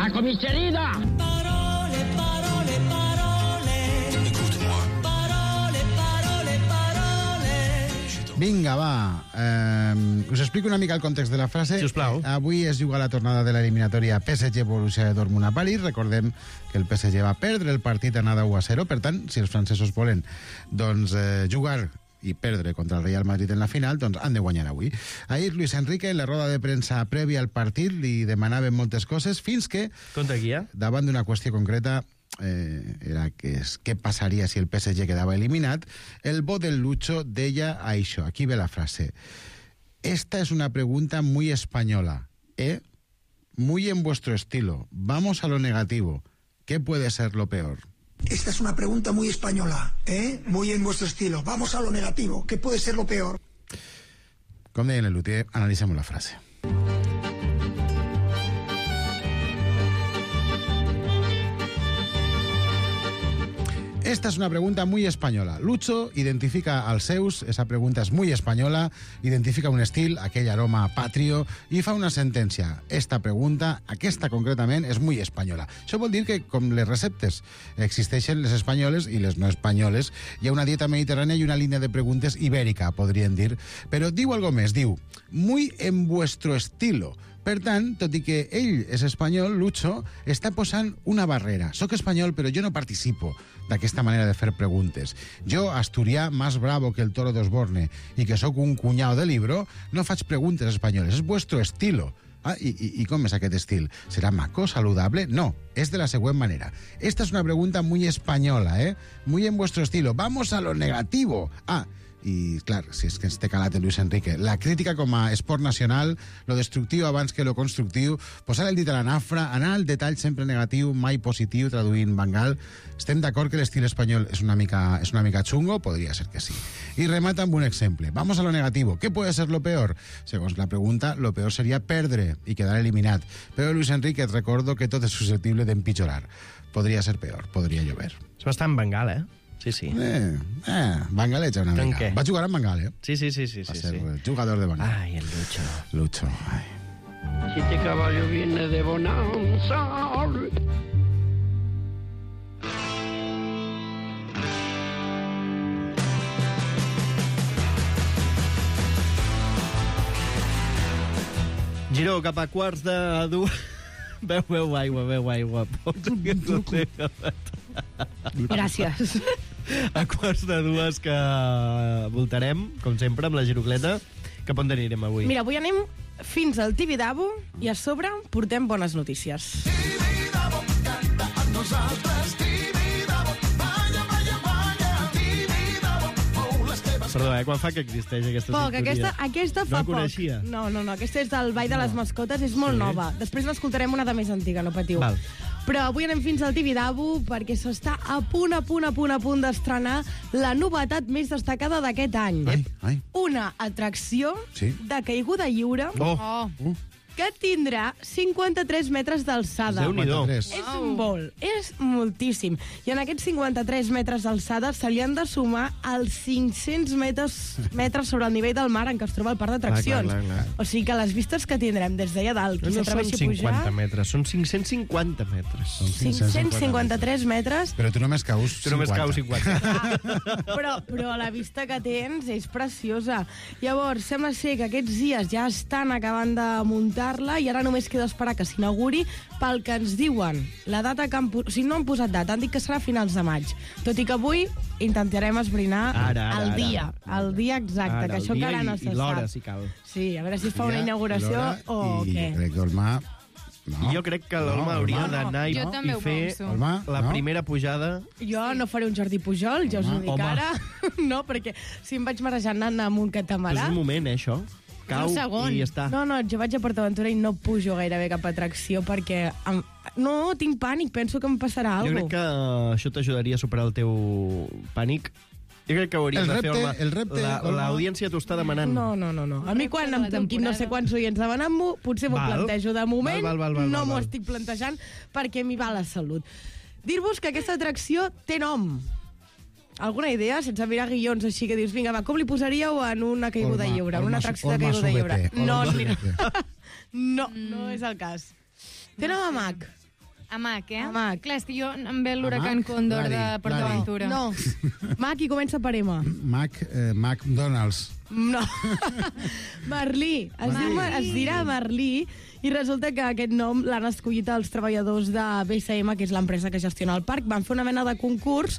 A comicerina! Parole, parole, parole. Écoute-moi. Parole, parole, parole. Vinga, va. Us explico una mica el context de la frase. Sisplau. Avui es juga la tornada de l'eliminatòria PSG-Borussia Dortmund a París. Recordem que el PSG va perdre el partit anada 1-0. Per tant, si els francesos volen jugar i perdre contra el Real Madrid en la final, doncs han de guanyar avui. Ahir Luis Enrique, en la roda de premsa prèvia al partit, li demanaven moltes coses fins que, Conta guia. davant d'una qüestió concreta, era què passaria si el PSG quedava eliminat, el bo del Lucho deia això. Aquí ve la frase. Esta es una pregunta muy española, muy en vuestro estilo. Vamos a lo negativo. ¿Qué puede ser lo peor? Esta es una pregunta muy española, muy en vuestro estilo. Vamos a lo negativo. ¿Qué puede ser lo peor? Com deia el Lutier, analitzem la frase. Esta es una pregunta muy española. Lucho identifica als seus, esa pregunta és muy española, identifica un estil, aquell aroma patrio, i fa una sentència. Esta pregunta, aquesta concretament, és muy española. Això vol dir que, com les receptes existeixen les espanyoles i les no espanyoles, hi ha una dieta mediterrània i una línia de preguntes ibèrica, podríem dir. Però diu algo més, diu, muy en vuestro estilo. Per tant, tot i que ell és espanyol, Lucho està posant una barrera. Soc espanyol, però jo no participo d'aquesta manera de fer preguntes. Jo, asturià, más bravo que el toro d'Osborne, i que sóc un cunyau de libro, no faig preguntes espanyoles. És vuestro estilo. I com és aquest estil? ¿Serà maco, saludable? No, és de la següent manera. Esta es una pregunta muy española, muy en vuestro estilo. Vamos a lo negativo. I, clar, si és que ens té calat el Luis Enrique. La crítica com a esport nacional, lo destructiu abans que lo constructiu, posar el dit a la nafra, anar al detall sempre negatiu, mai positiu, traduint Bangal. Estem d'acord que l'estil espanyol és una mica chungo? Podria ser que sí. I remata amb un exemple. Vamos a lo negativo. ¿Qué puede ser lo peor? Segons la pregunta, lo peor seria perdre i quedar eliminat. Però Luis Enrique, et recordo que tot és susceptible d'empitjorar. Podria ser peor, podria llover. És bastant Bangal, Sí, sí. Bangaleja una mica. Què? Va jugar amb Bangal, Sí. Va ser jugador de Bangal. Ai, el Lucho. Lucho, ai. Si este caballo viene de bonanza. Giró, cap a quarts de dues... Beu aigua. Gràcies. A quarts de dues que voltarem, com sempre, amb la girocleta. Cap on anirem avui? Mira, avui anem fins al Tibidabo i a sobre portem bones notícies. Tibidabo, canta amb nosaltres. Tibidabo, balla, balla, balla. Tibidabo, mou les teves... Perdó, quan fa que existeix aquesta Poc, sintonia? aquesta fa No la poc. coneixia? No, aquesta és del Ball de les Mascotes, és molt nova. Després n'escoltarem una de més antiga, no patiu. Val. Però avui anem fins al Tibidabo perquè s'està a punt d'estrenar la novetat més destacada d'aquest any. Ai. Una atracció Sí. de caiguda lliure que tindrà 53 metres d'alçada. Déu-n'hi-do. Tres. És molt, és moltíssim. I en aquests 53 metres d'alçada se li han de sumar els 500 metres sobre el nivell del mar en què es troba el parc d'atraccions. Clar. O sigui que les vistes que tindrem des d'allà dalt, qui No són s'atreveixi a pujar... 50 metres, són 550 metres. 553 metres, Però tu només caus 50. Tu només caus 50. però la vista que tens és preciosa. Llavors, sembla ser que aquests dies ja estan acabant de muntar-la i ara només queda esperar que s'inauguri. Pel que ens diuen, la data que o sigui, no han posat data, han dit que serà a finals de maig. Tot i que avui intentarem esbrinar el dia exacte, que això encara no se sap. I l'hora, si cal. Sí, a veure si es fa una inauguració o què. I crec que Olmà... No. Jo crec que l'Olma hauria d'anar Jo també i ho fer penso. Olmà, la primera pujada. Jo no faré un Jordi Pujol, ja us ho dic Home. ara. No, perquè si em vaig marejant anant amb un Però és catamarà... un moment, això. Cau Un segon. i ja està. No, jo vaig a PortAventura i no pujo gairebé cap atracció perquè... No, tinc pànic, penso que em passarà Jo alguna crec que això t'ajudaria a superar el teu pànic. Jo crec que hauries de fer... el repte, L'audiència t'ho està demanant. No. A mi quan em toquin no sé quants oients demanant-m'ho, potser m'ho Val. plantejo. De moment Val, no m'ho val. estic plantejant perquè m'hi va la salut. Dir-vos que aquesta atracció té nom. Alguna idea? Sense mirar guions així que dius, vinga, va, com li posaríeu en una caiguda lliure, en una atracció de caiguda lliure? No és el cas. Té nom a mag. Amac, eh? Amac. Clar, és que jo em ve l'huracan Còndor de Lari, Port Lari. Aventura. No. Mac i comença per M. McDonald's. No. Merlí. Es dirà Merlí i resulta que aquest nom l'han escollit els treballadors de BSM, que és l'empresa que gestiona el parc. Van fer una mena de concurs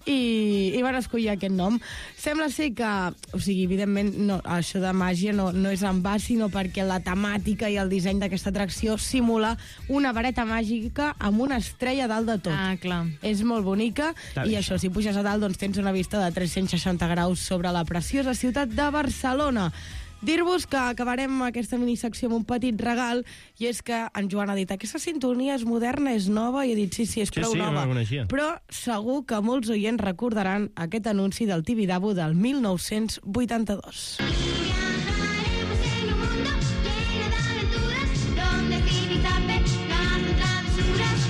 i van escollir aquest nom. Sembla ser que, o sigui, evidentment, no, això de màgia no és en va, sinó perquè la temàtica i el disseny d'aquesta atracció simula una vareta màgica amb una estrella dalt de tot. Ah, clar. És molt bonica i això, si puges a dalt, doncs tens una vista de 360 graus sobre la preciosa ciutat de Barcelona. Dir-vos que acabarem aquesta minissecció amb un petit regal, i és que en Joan ha dit aquesta sintonia és moderna, és nova, i he dit sí, és prou no nova. la coneixia. Però segur que molts oients recordaran aquest anunci del Tibidabo del 1982. Viajaremos en un mundo lleno de aventuras, donde Tibi-Tape hacen travesuras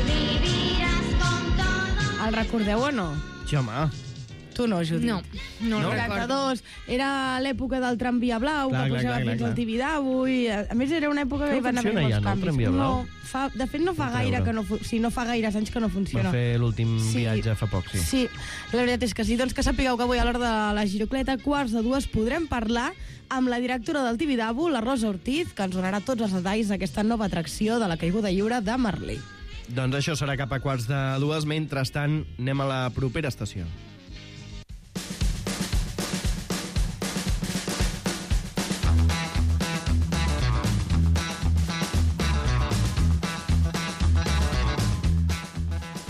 y vivirás con todo. El recordeu o no? Sí, home. Tu no, Judit. No el No? recordo. 82, era l'època del tramvia blau, Clar, que clar, pujava clar, fins clar. al Tibidabo, i a més era una època No que hi van haver funciona molts ja, no, el canvis. tramvia blau? De fet no fa gaire que no... no fa gaires anys que no funciona. Va fer l'últim viatge fa poc, sí. Sí, la veritat és que sí. Doncs que sapigueu que avui a l'hora de la Girocleta, 1:45, podrem parlar amb la directora del Tibidabo, la Rosa Ortiz, que ens donarà tots els detalls d'aquesta nova atracció de la caiguda lliure de Merlí. Doncs això serà cap a 1:45. Mentrestant, anem a la propera estació.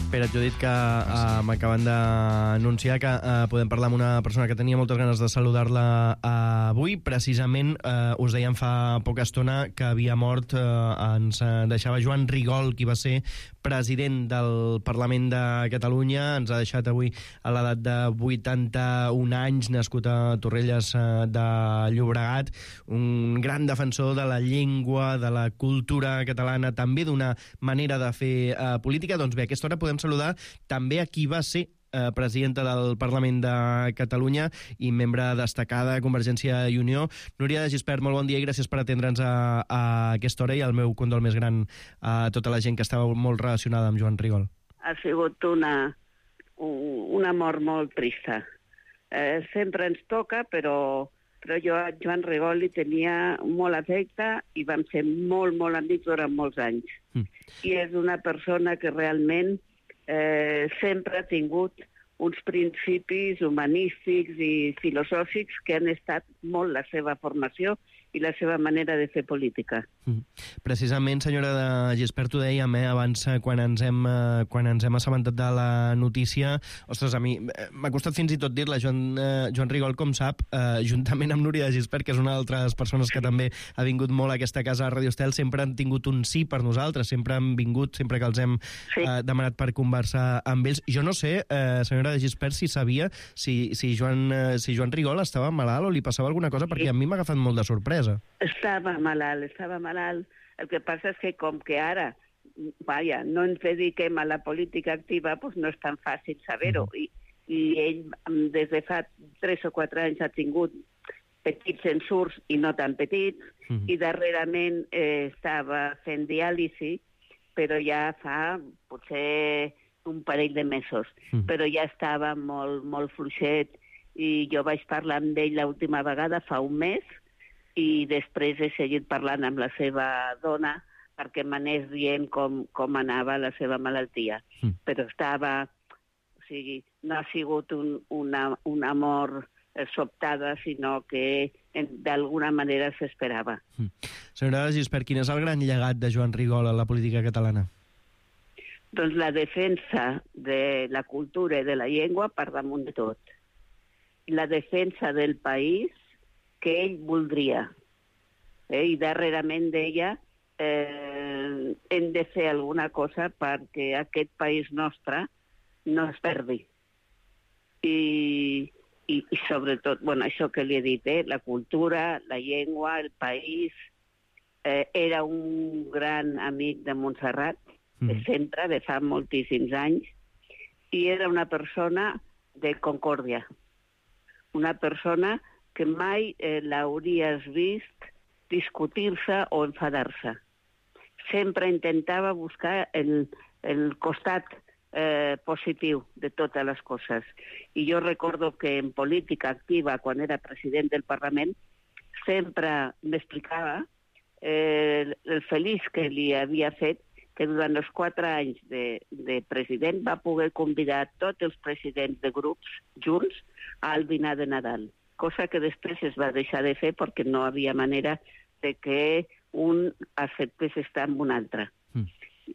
Espera, jo he dit que m'acaben d'anunciar que podem parlar amb una persona que tenia moltes ganes de saludar-la avui. Precisament us dèiem fa poca estona que havia mort, ens deixava Joan Rigol, qui va ser president del Parlament de Catalunya. Ens ha deixat avui a l'edat de 81 anys, nascut a Torrelles de Llobregat, un gran defensor de la llengua, de la cultura catalana, també d'una manera de fer política. Doncs bé, a aquesta hora podem saludar també a qui va ser presidenta del Parlament de Catalunya i membre destacada de Convergència i Unió. Núria de Gispert, molt bon dia i gràcies per atendre'ns a aquesta hora, i el meu condol més gran a tota la gent que estava molt relacionada amb Joan Rigol. Ha sigut una mort molt trista. Sempre ens toca, però jo a Joan Rigol li tenia molt afecte i vam ser molt, molt amics durant molts anys. I és una persona que realment sempre ha tingut uns principis humanístics i filosòfics que han estat molt la seva formació i la seva manera de fer política. Precisament, senyora de Gispert, ho dèiem abans, quan ens hem assabentat de la notícia. Ostres, a mi m'ha costat fins i tot dir-la. Joan Rigol, com sap, juntament amb Núria de Gispert, que és una d'altres persones que també ha vingut molt a aquesta casa a Radio Estel, sempre han tingut un sí per nosaltres, sempre han vingut, sempre que els hem demanat per conversar amb ells. Jo no sé, senyora de Gispert, si sabia si Joan Rigol estava malalt o li passava alguna cosa, perquè a mi m'ha agafat molt de sorpresa. Estava malalt. El que passa és que com que ara no ens dediquem a la política activa, doncs no és tan fàcil saber-ho. I ell des de fa 3 o 4 anys ha tingut petits ensurts i no tan petits, i darrerament estava fent diàlisi, però ja fa potser un parell de mesos. Però ja estava molt, molt fluixet, i jo vaig parlar amb ell l'última vegada fa un mes, i després he seguit parlant amb la seva dona perquè m'anés dient com anava la seva malaltia. Però estava... O sigui, no ha sigut una mort sobtada, sinó que d'alguna manera s'esperava. Senyora Gispert, quin és el gran llegat de Joan Rigol a la política catalana? Doncs la defensa de la cultura i de la llengua per damunt de tot. La defensa del país que ell voldria. I darrerament deia hem de fer alguna cosa perquè aquest país nostre no es perdi. I sobretot, això que li he dit, la cultura, la llengua, el país. Era un gran amic de Montserrat, sempre, de fa moltíssims anys, i era una persona de concòrdia. Una persona que mai l'hauries vist discutir-se o enfadar-se. sempre intentava buscar el costat positiu de totes les coses. I jo recordo que en política activa, quan era president del Parlament, sempre m'explicava el feliç que li havia fet que durant els 4 anys de president va poder convidar tots els presidents de grups junts al dinar de Nadal, cosa que després es va deixar de fer perquè no havia manera de que un acceptés estar amb un altre.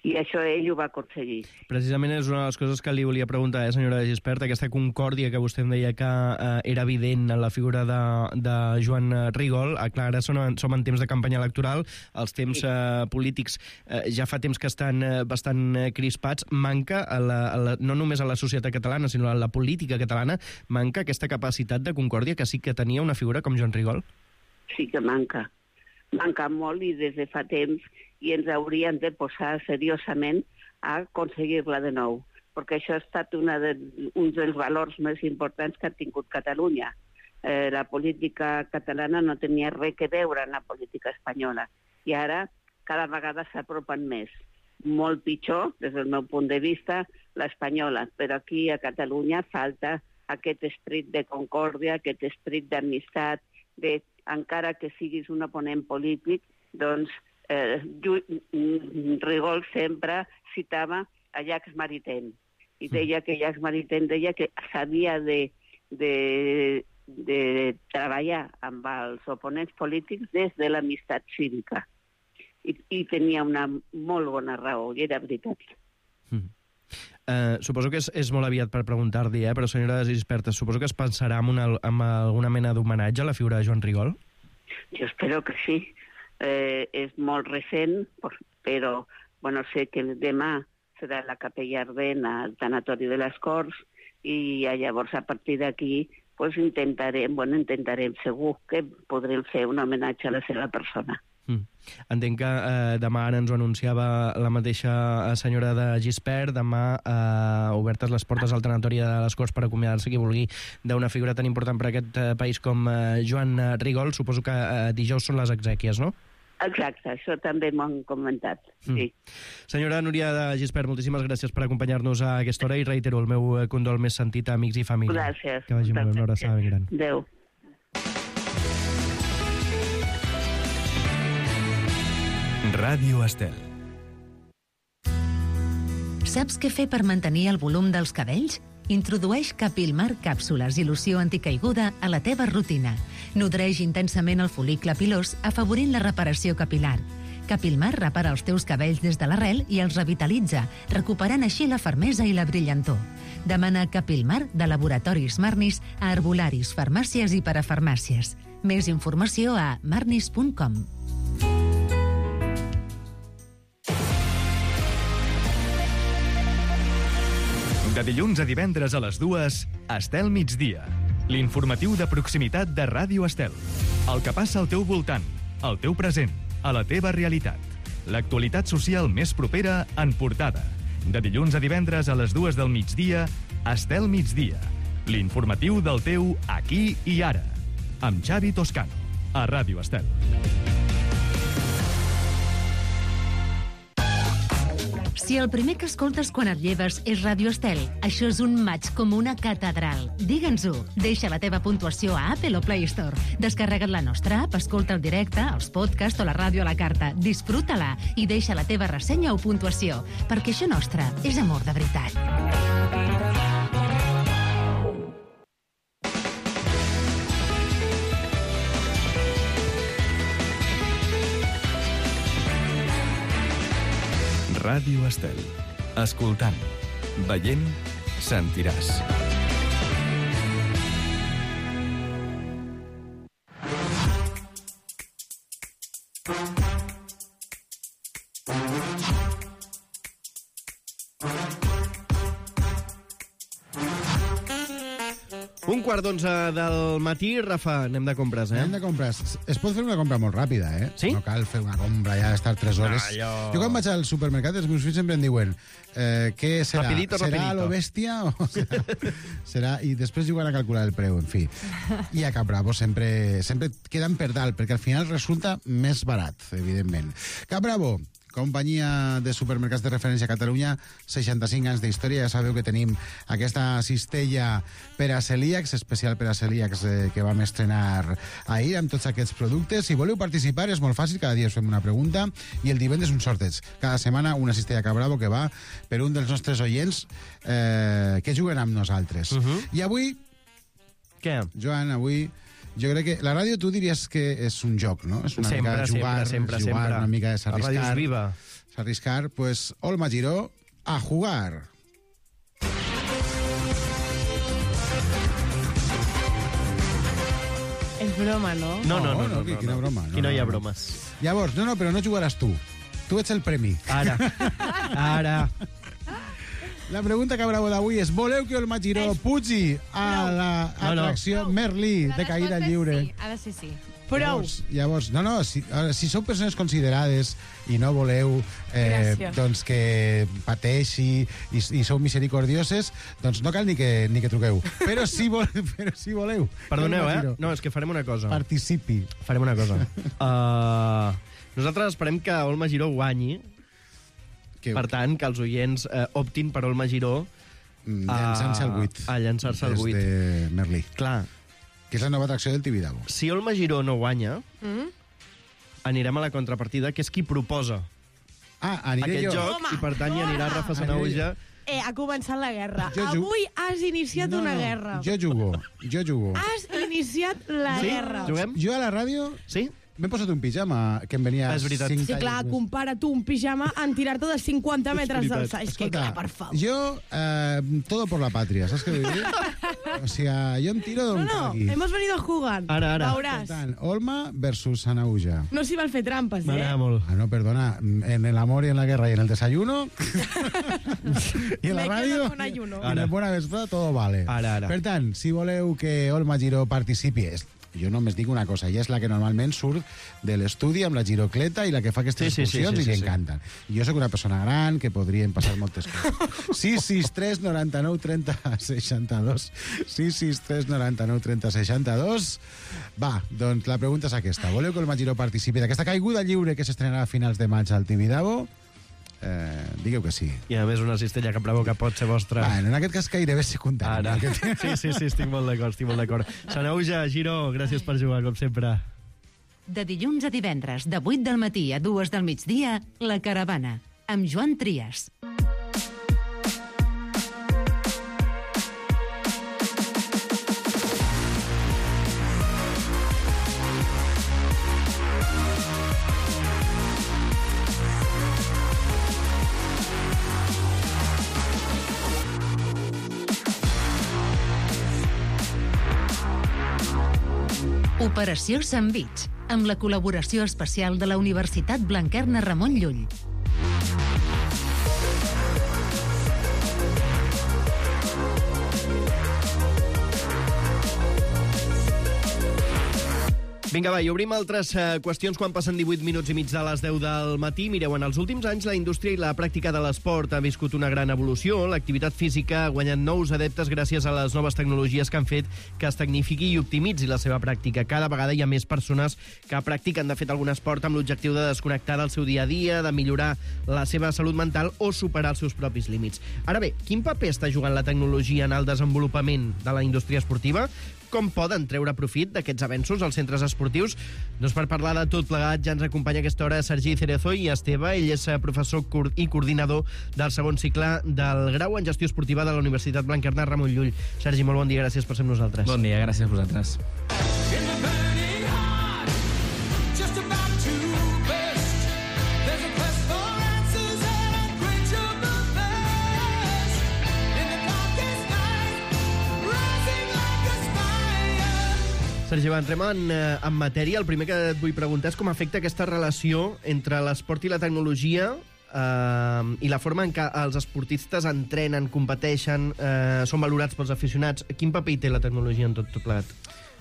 I això ell ho va aconseguir. Precisament és una de les coses que li volia preguntar, senyora de Gispert, aquesta concòrdia que vostè em deia que era evident en la figura de Joan Rigol. Clar, ara som en temps de campanya electoral, els temps polítics ja fa temps que estan bastant crispats. Manca, no només a la societat catalana, sinó a la política catalana, manca aquesta capacitat de concòrdia que sí que tenia una figura com Joan Rigol? Sí que manca. Manca molt i des de fa temps i ens hauríem de posar seriosament a aconseguir-la de nou, perquè això ha estat un dels valors més importants que ha tingut Catalunya. La política catalana no tenia res que veure amb la política espanyola i ara cada vegada s'apropen més. Molt pitjor, des del meu punt de vista, l'espanyola, però aquí a Catalunya falta aquest esperit de concòrdia, aquest esperit d'amistat, encara que siguis un oponent polític, doncs Rigol sempre citava a Jacques Maritain i deia que Jacques Maritain deia que s'havia de treballar amb els oponents polítics des de l'amistat cívica i tenia una molt bona raó i era veritat. Suposo que és molt aviat per preguntar-li, però senyora Gispert, suposo que es pensarà en alguna mena d'homenatge a la figura de Joan Rigol? Jo espero que sí. És molt recent, però sé que demà serà la Capella Ardent al Tanatori de les Corts i llavors a partir d'aquí intentarem segur que podrem fer un homenatge a la seva persona. Entenc que demà ara ens ho anunciava la mateixa senyora de Gispert, demà obertes les portes al Tanatori de les Corts per acomiadar-se qui vulgui d'una figura tan important per a aquest país com Joan Rigol. Suposo que dijous són les exèquies, no? Exacte, això també m'ho han comentat, sí. Senyora Núria de Gispert, moltíssimes gràcies per acompanyar-nos a aquesta hora i reitero el meu condol més sentit a amics i família. Gràcies. Que vagi molt bé, una abraçada ben gran. Adéu. Ràdio Estel. Saps què fer per mantenir el volum dels cabells? Introdueix Capilmar càpsules i loció anticaiguda a la teva rutina. Nodreix intensament el fol·licle pilós, afavorint la reparació capilar. Capilmar repara els teus cabells des de l'arrel i els revitalitza, recuperant així la fermesa i la brillantor. Demana Capilmar de Laboratoris Marnis a herbolaris, farmàcies i parafarmàcies. Més informació a marnis.com. De dilluns a divendres a les 2, Estel Migdia. L'informatiu de proximitat de Ràdio Estel. El que passa al teu voltant, al teu present, a la teva realitat. L'actualitat social més propera en portada. De dilluns a divendres a les 2 del migdia, Estel Migdia. L'informatiu del teu aquí i ara. Amb Xavi Toscano, a Ràdio Estel. Si el primer que escoltes quan et lleves és Ràdio Estel, això és un maig com una catedral. Digue'ns-ho. Deixa la teva puntuació a Apple o Play Store. Descarrega't la nostra app, escolta el directe, els podcasts o la ràdio a la carta. Disfruta-la i deixa la teva ressenya o puntuació, perquè això nostre és amor de veritat. Ràdio Estel. Escoltant, veient, sentiràs. Un quart d'11 del matí, Rafa, anem de compres, Anem de compres. Es pot fer una compra molt ràpida, Sí? No cal fer una compra ja d'estar 3 hores. Allò... Jo quan vaig al supermercat, els meus fills sempre em diuen què serà? Rapidito, serà rapidito. lo bèstia o serà... I després juguen a calcular el preu, en fi. I a Cap Bravo sempre queden per dalt, perquè al final resulta més barat, evidentment. Cap Bravo, companyia de supermercats de referència a Catalunya, 65 anys d'història. Ja sabeu que tenim aquesta cistella per a celíacs, especial per a celíacs, que vam estrenar ahir amb tots aquests productes. Si voleu participar és molt fàcil, cada dia us fem una pregunta i el divendres un sorteig. Cada setmana una cistella Cabravo que va per un dels nostres oients que juguen amb nosaltres. I avui... Què? Joan, avui... Jo crec que la ràdio tu diries que és un joc, no? És una mica jugar, una mica és arriscar. La ràdio és viva. Arriscar, pues, Olma Giró, a jugar. És broma, no? No. Quina broma. Aquí no hi ha bromes. Llavors, no, però no jugaràs tu. Tu ets el premi. Ara. La pregunta que Bravo d'avui és: voleu que Olma Giró pugi a l'atracció Merlí de caïda lliure? Sí, ha de ser sí. Prou. Llavors, si sou persones considerades i no voleu doncs que pateixi i sou misericordioses, doncs no cal ni que truqueu. Però si voleu... Perdoneu, No, és que farem una cosa. Participi. Farem una cosa. Nosaltres esperem que Olma Giró guanyi. Per tant, que els oients optin per Olma Giró llançant-se al buit. A llançar-se al buit. Des de Merlí. Clar. Que és la nova atracció del Tibidabo. Si Olma Giró no guanya, anirem a la contrapartida, que és qui proposa aniré aquest jo. joc, i per tant hi anirà Rafa Sanahuja. Ha començat la guerra. Avui has iniciat una guerra. Jo jugo. Has iniciat la guerra. Juguem? Jo a la ràdio... Sí? M'he posat un pijama que em venia... És veritat. Sí, clar, compara tu un pijama en tirar-te de 50 metres d'alçada. És que, clar, per favor. Jo, todo por la patria, saps què vull dir? O sigui, jo em tiro d'on calgui. hemos venido a jugar. Ara. Veuràs. Per tant, Olma versus Sanahuja. No s'hi val fer trampes, M'agrada molt. No, perdona, en el amor y en la guerra y en el desayuno y en la radio y en el buena vesprada todo vale. Ara. Per tant, si voleu que Olma Giró participi, jo només dic una cosa, ella és la que normalment surt de l'estudi amb la girocleta i la que fa aquestes funcions i li encanten. Jo sóc una persona gran que podrien passar moltes coses. 663 99 30 62 663 99 30 62. Va, doncs la pregunta és aquesta. Voleu que Olma Giró participi d'aquesta caiguda lliure que s'estrenarà a finals de maig al Tibidabo? Digueu que sí. I a més una cistella que Bravo que pot ser vostra. En aquest cas gairebé secundari. Ara. Sí, estic molt d'acord. Sanahuja, Giró, gràcies per jugar, com sempre. De dilluns a divendres, de 8 del matí a 2 del migdia, La Caravana, amb Joan Trias. Operació Sandvich, amb la col·laboració especial de la Universitat Blanquerna Ramon Llull. Vinga, va, i obrim altres qüestions quan passen 18 minuts i mig de les 10 del matí. Mireu, en els últims anys la indústria i la pràctica de l'esport ha viscut una gran evolució. L'activitat física ha guanyat nous adeptes gràcies a les noves tecnologies que han fet que es tecnifiqui i optimitzi la seva pràctica. Cada vegada hi ha més persones que practiquen, de fet, algun esport amb l'objectiu de desconnectar del seu dia a dia, de millorar la seva salut mental o superar els seus propis límits. Ara bé, quin paper està jugant la tecnologia en el desenvolupament de la indústria esportiva? Com poden treure profit d'aquests avenços als centres esportius? Doncs per parlar de tot plegat ja ens acompanya a aquesta hora Sergi Cerezo i Esteve. Ell és professor i coordinador del segon cicle del grau en gestió esportiva de la Universitat Blanquerna Ramon Llull. Sergi, molt bon dia, gràcies per ser amb nosaltres. Bon dia, gràcies a vosaltres. Sergi, va, entrem en matèria. El primer que et vull preguntar és com afecta aquesta relació entre l'esport i la tecnologia i la forma en què els esportistes entrenen, competeixen, són valorats pels aficionats. Quin paper hi té la tecnologia en tot plegat?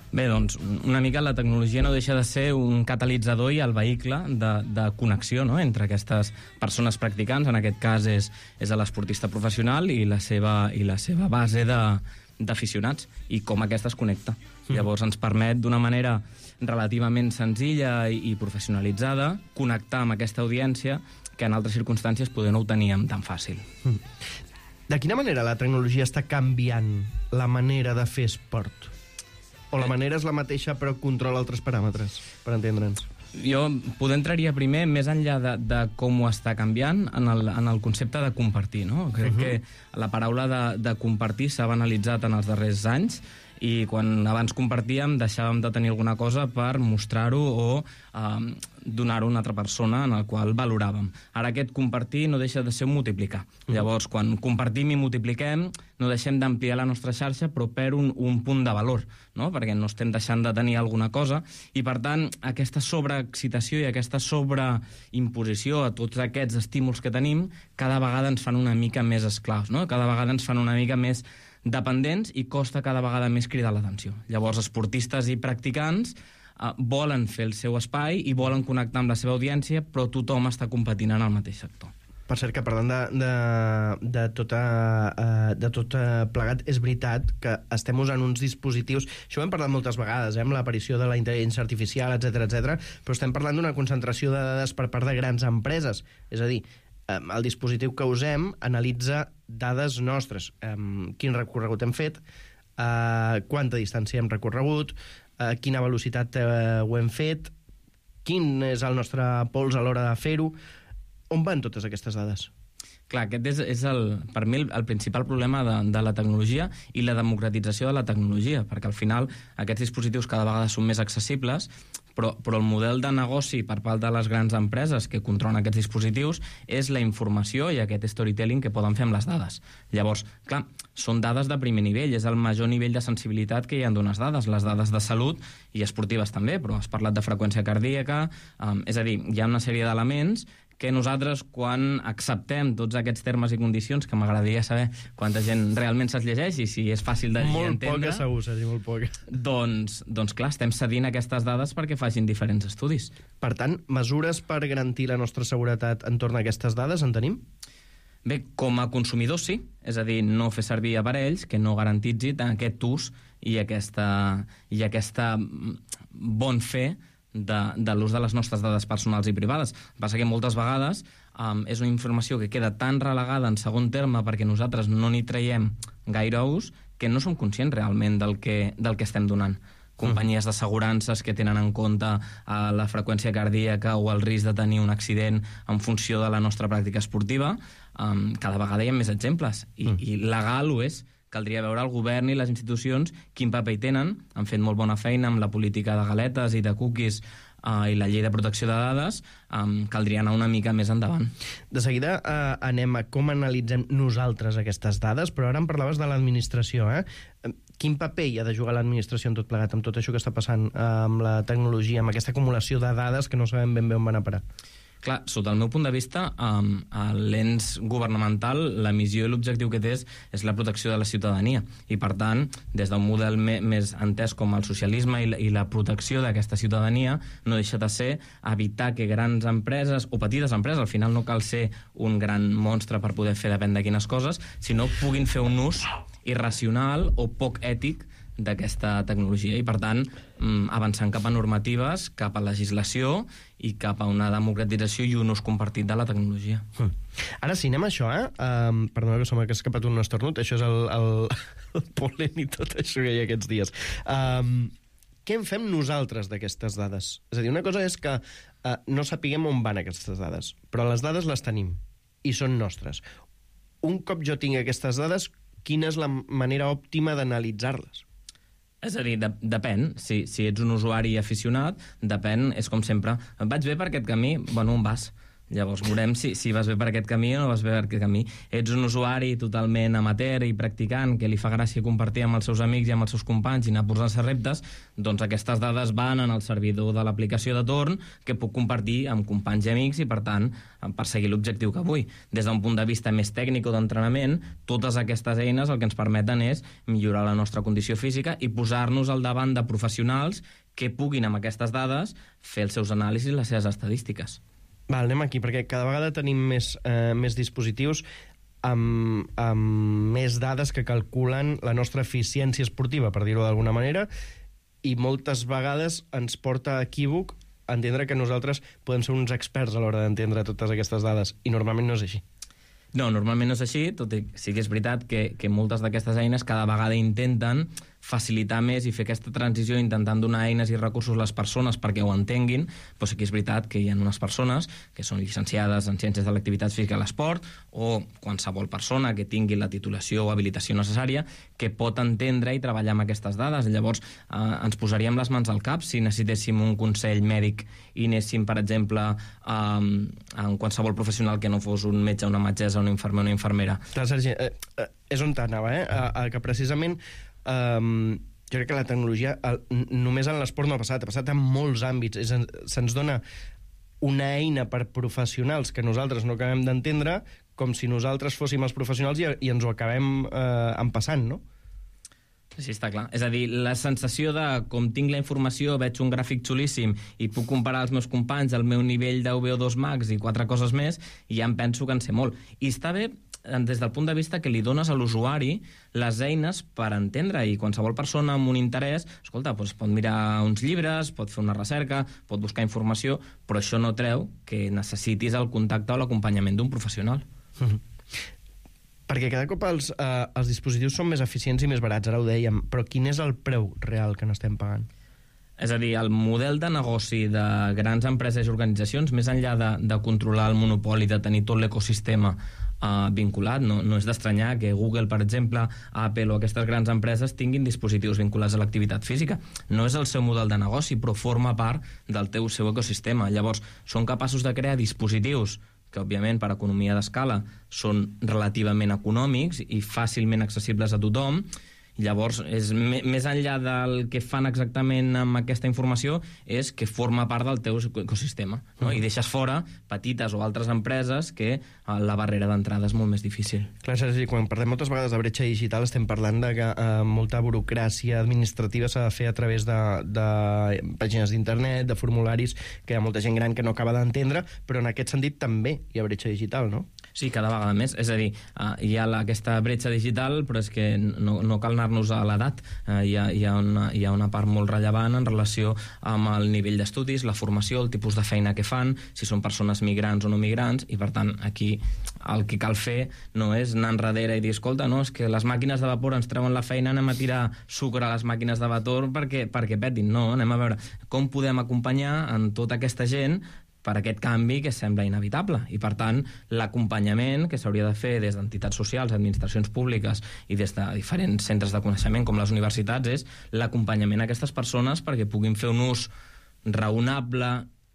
Bé, doncs, una mica la tecnologia no deixa de ser un catalitzador i el vehicle de connexió, no?, entre aquestes persones practicants. En aquest cas és l'esportista professional i la seva base d'aficionats i com aquesta es connecta. Llavors ens permet d'una manera relativament senzilla i professionalitzada connectar amb aquesta audiència que en altres circumstàncies poder no ho teníem tan fàcil. De quina manera la tecnologia està canviant la manera de fer esport? O la manera és la mateixa però controla altres paràmetres, per entendre'ns? Jo poder entraria primer més enllà de com ho està canviant en el concepte de compartir, no? Crec que la paraula de compartir s'ha banalitzat en els darrers anys i quan abans compartíem deixàvem de tenir alguna cosa per mostrar-ho o donar-ho a una altra persona en el qual valoràvem. Ara aquest compartir no deixa de ser un multiplicar. Llavors, quan compartim i multipliquem, no deixem d'ampliar la nostra xarxa, però per un punt de valor, no? Perquè no estem deixant de tenir alguna cosa, i per tant, aquesta sobreexcitació i aquesta sobreimposició a tots aquests estímuls que tenim, cada vegada ens fan una mica més esclaus, no? Cada vegada ens fan una mica més dependents i costa cada vegada més cridar l'atenció. Llavors, esportistes i practicants volen fer el seu espai i volen connectar amb la seva audiència, però tothom està competint en el mateix sector. Per cert, que parlant de tot plegat, és veritat que estem usant uns dispositius, això ho hem parlat moltes vegades, amb l'aparició de la intel·ligència artificial, etc, però estem parlant d'una concentració de dades per part de grans empreses. És a dir, el dispositiu que usem analitza dades nostres, quin recorregut hem fet, quanta distància hem recorregut, quina velocitat ho hem fet, quin és el nostre pols a l'hora de fer-ho. On van totes aquestes dades? Clar, aquest és per mi el principal problema de la tecnologia i la democratització de la tecnologia, perquè al final aquests dispositius cada vegada són més accessibles, però el model de negoci per part de les grans empreses que controlen aquests dispositius és la informació i aquest storytelling que poden fer amb les dades. Llavors, clar, són dades de primer nivell, és el major nivell de sensibilitat que hi ha d'unes dades, les dades de salut i esportives també, però has parlat de freqüència cardíaca, és a dir, hi ha una sèrie d'elements que nosaltres, quan acceptem tots aquests termes i condicions, que m'agradaria saber quanta gent realment se'ls llegeix i si és fàcil de llegir i entendre... Molt poca, segur, Sergi, molt poca. Doncs clar, estem cedint aquestes dades perquè facin diferents estudis. Per tant, mesures per garantir la nostra seguretat entorn a aquestes dades en tenim? Bé, com a consumidors sí, és a dir, no fer servir aparells que no garantitzi aquest ús i aquesta bon fer de l'ús de les nostres dades personals i privades. Passa que moltes vegades és una informació que queda tan relegada en segon terme perquè nosaltres no n'hi traiem gaire ús que no som conscients realment del que estem donant. Companyies d'assegurances que tenen en compte la freqüència cardíaca o el risc de tenir un accident en funció de la nostra pràctica esportiva, cada vegada hi ha més exemples i legal ho és. Caldria veure el govern i les institucions quin paper hi tenen. Han fet molt bona feina amb la política de galetes i de cookies i la llei de protecció de dades. Caldria anar una mica més endavant. De seguida anem a com analitzem nosaltres aquestes dades, però ara em parlaves de l'administració. Quin paper hi ha de jugar l'administració en tot plegat, amb tot això que està passant amb la tecnologia, amb aquesta acumulació de dades que no sabem ben bé on van a parar? Clar, sota el meu punt de vista, l'ens governamental, la missió i l'objectiu que té és la protecció de la ciutadania. I, per tant, des d'un model més entès com el socialisme i la protecció d'aquesta ciutadania, no deixa de ser evitar que grans empreses, o petites empreses, al final no cal ser un gran monstre per poder fer depèn de quines coses, sinó puguin fer un ús irracional o poc ètic d'aquesta tecnologia i, per tant, avançant cap a normatives, cap a legislació i cap a una democratització i un ús compartit de la tecnologia. Ara sí, anem a això, Perdona que sembla que ha escapat un esternut, això és el polen i tot això que hi ha aquests dies. Què en fem nosaltres d'aquestes dades? És a dir, una cosa és que no sapiguem on van aquestes dades, però les dades les tenim i són nostres. Un cop jo tinc aquestes dades, quina és la manera òptima d'analitzar-les? És a dir, depèn. Si ets un usuari aficionat, depèn, és com sempre. Vaig bé per aquest camí? Bueno, on vas? Llavors veurem si vas bé per aquest camí o no vas bé per aquest camí. Ets un usuari totalment amateur i practicant que li fa gràcia compartir amb els seus amics i amb els seus companys i anar posant-se reptes, doncs aquestes dades van en el servidor de l'aplicació de torn que puc compartir amb companys i amics i, per tant, perseguir l'objectiu que vull. Des d'un punt de vista més tècnic o d'entrenament, totes aquestes eines el que ens permeten és millorar la nostra condició física i posar-nos al davant de professionals que puguin amb aquestes dades fer els seus anàlisis i les seves estadístiques. Val, anem aquí, perquè cada vegada tenim més dispositius amb més dades que calculen la nostra eficiència esportiva, per dir-ho d'alguna manera, i moltes vegades ens porta a equívoc entendre que nosaltres podem ser uns experts a l'hora d'entendre totes aquestes dades, i normalment no és així. No, normalment no és així, tot i sí que és veritat que moltes d'aquestes eines cada vegada intenten facilitar més i fer aquesta transició intentant donar eines i recursos a les persones perquè ho entenguin, però sí que és veritat que hi ha unes persones que són llicenciades en Ciències de l'Activitat Física i l'Esport o qualsevol persona que tingui la titulació o habilitació necessària que pot entendre i treballar amb aquestes dades. Llavors, ens posaríem les mans al cap si necessitéssim un consell mèdic i anéssim, per exemple, en qualsevol professional que no fos un metge, una metgessa, un infermer o una infermera. Clar, Sergi, és on t'anava, que precisament jo crec que la tecnologia només en l'esport no ha passat en molts àmbits. Se'ns dona una eina per professionals que nosaltres no acabem d'entendre, com si nosaltres fóssim els professionals i ens ho acabem empassant, no? Sí, està clar. És a dir, la sensació de com tinc la informació, veig un gràfic xulíssim i puc comparar els meus companys, el meu nivell de VO2 max i 4 coses més, i ja em penso que en sé molt. I està bé des del punt de vista que li dones a l'usuari les eines per entendre, i qualsevol persona amb un interès, escolta, doncs pot mirar uns llibres, pot fer una recerca, pot buscar informació, però això no treu que necessitis el contacte o l'acompanyament d'un professional. Perquè cada cop els dispositius són més eficients i més barats, ara ho dèiem, però quin és el preu real que n'estem pagant? És a dir, el model de negoci de grans empreses i organitzacions, més enllà de controlar el monopoli, de tenir tot l'ecosistema vinculat, no és d'estranyar que Google, per exemple, Apple o aquestes grans empreses tinguin dispositius vinculats a l'activitat física. No és el seu model de negoci, però forma part del seu ecosistema. Llavors, són capaços de crear dispositius que, òbviament, per economia d'escala són relativament econòmics i fàcilment accessibles a tothom. Llavors, més enllà del que fan exactament amb aquesta informació, és que forma part del teu ecosistema, no? I deixes fora petites o altres empreses que la barrera d'entrada és molt més difícil. Clar, Sergi, quan parlem moltes vegades de bretxa digital estem parlant de que molta burocràcia administrativa s'ha de fer a través de pàgines d'internet, de formularis, que hi ha molta gent gran que no acaba d'entendre, però en aquest sentit també hi ha bretxa digital, no? Sí, cada vegada més. És a dir, hi ha aquesta bretxa digital, però és que no cal anar-nos a l'edat. Hi ha una part molt rellevant en relació amb el nivell d'estudis, la formació, el tipus de feina que fan, si són persones migrants o no migrants, i per tant aquí el que cal fer no és anar enrere i dir, escolta, no, és que les màquines de vapor ens treuen la feina, anem a tirar sucre a les màquines de vapor perquè petin. No, anem a veure com podem acompanyar en tota aquesta gent per aquest canvi que sembla inevitable. I, per tant, l'acompanyament que s'hauria de fer des d'entitats socials, administracions públiques i des de diferents centres de coneixement com les universitats és l'acompanyament a aquestes persones perquè puguin fer un ús raonable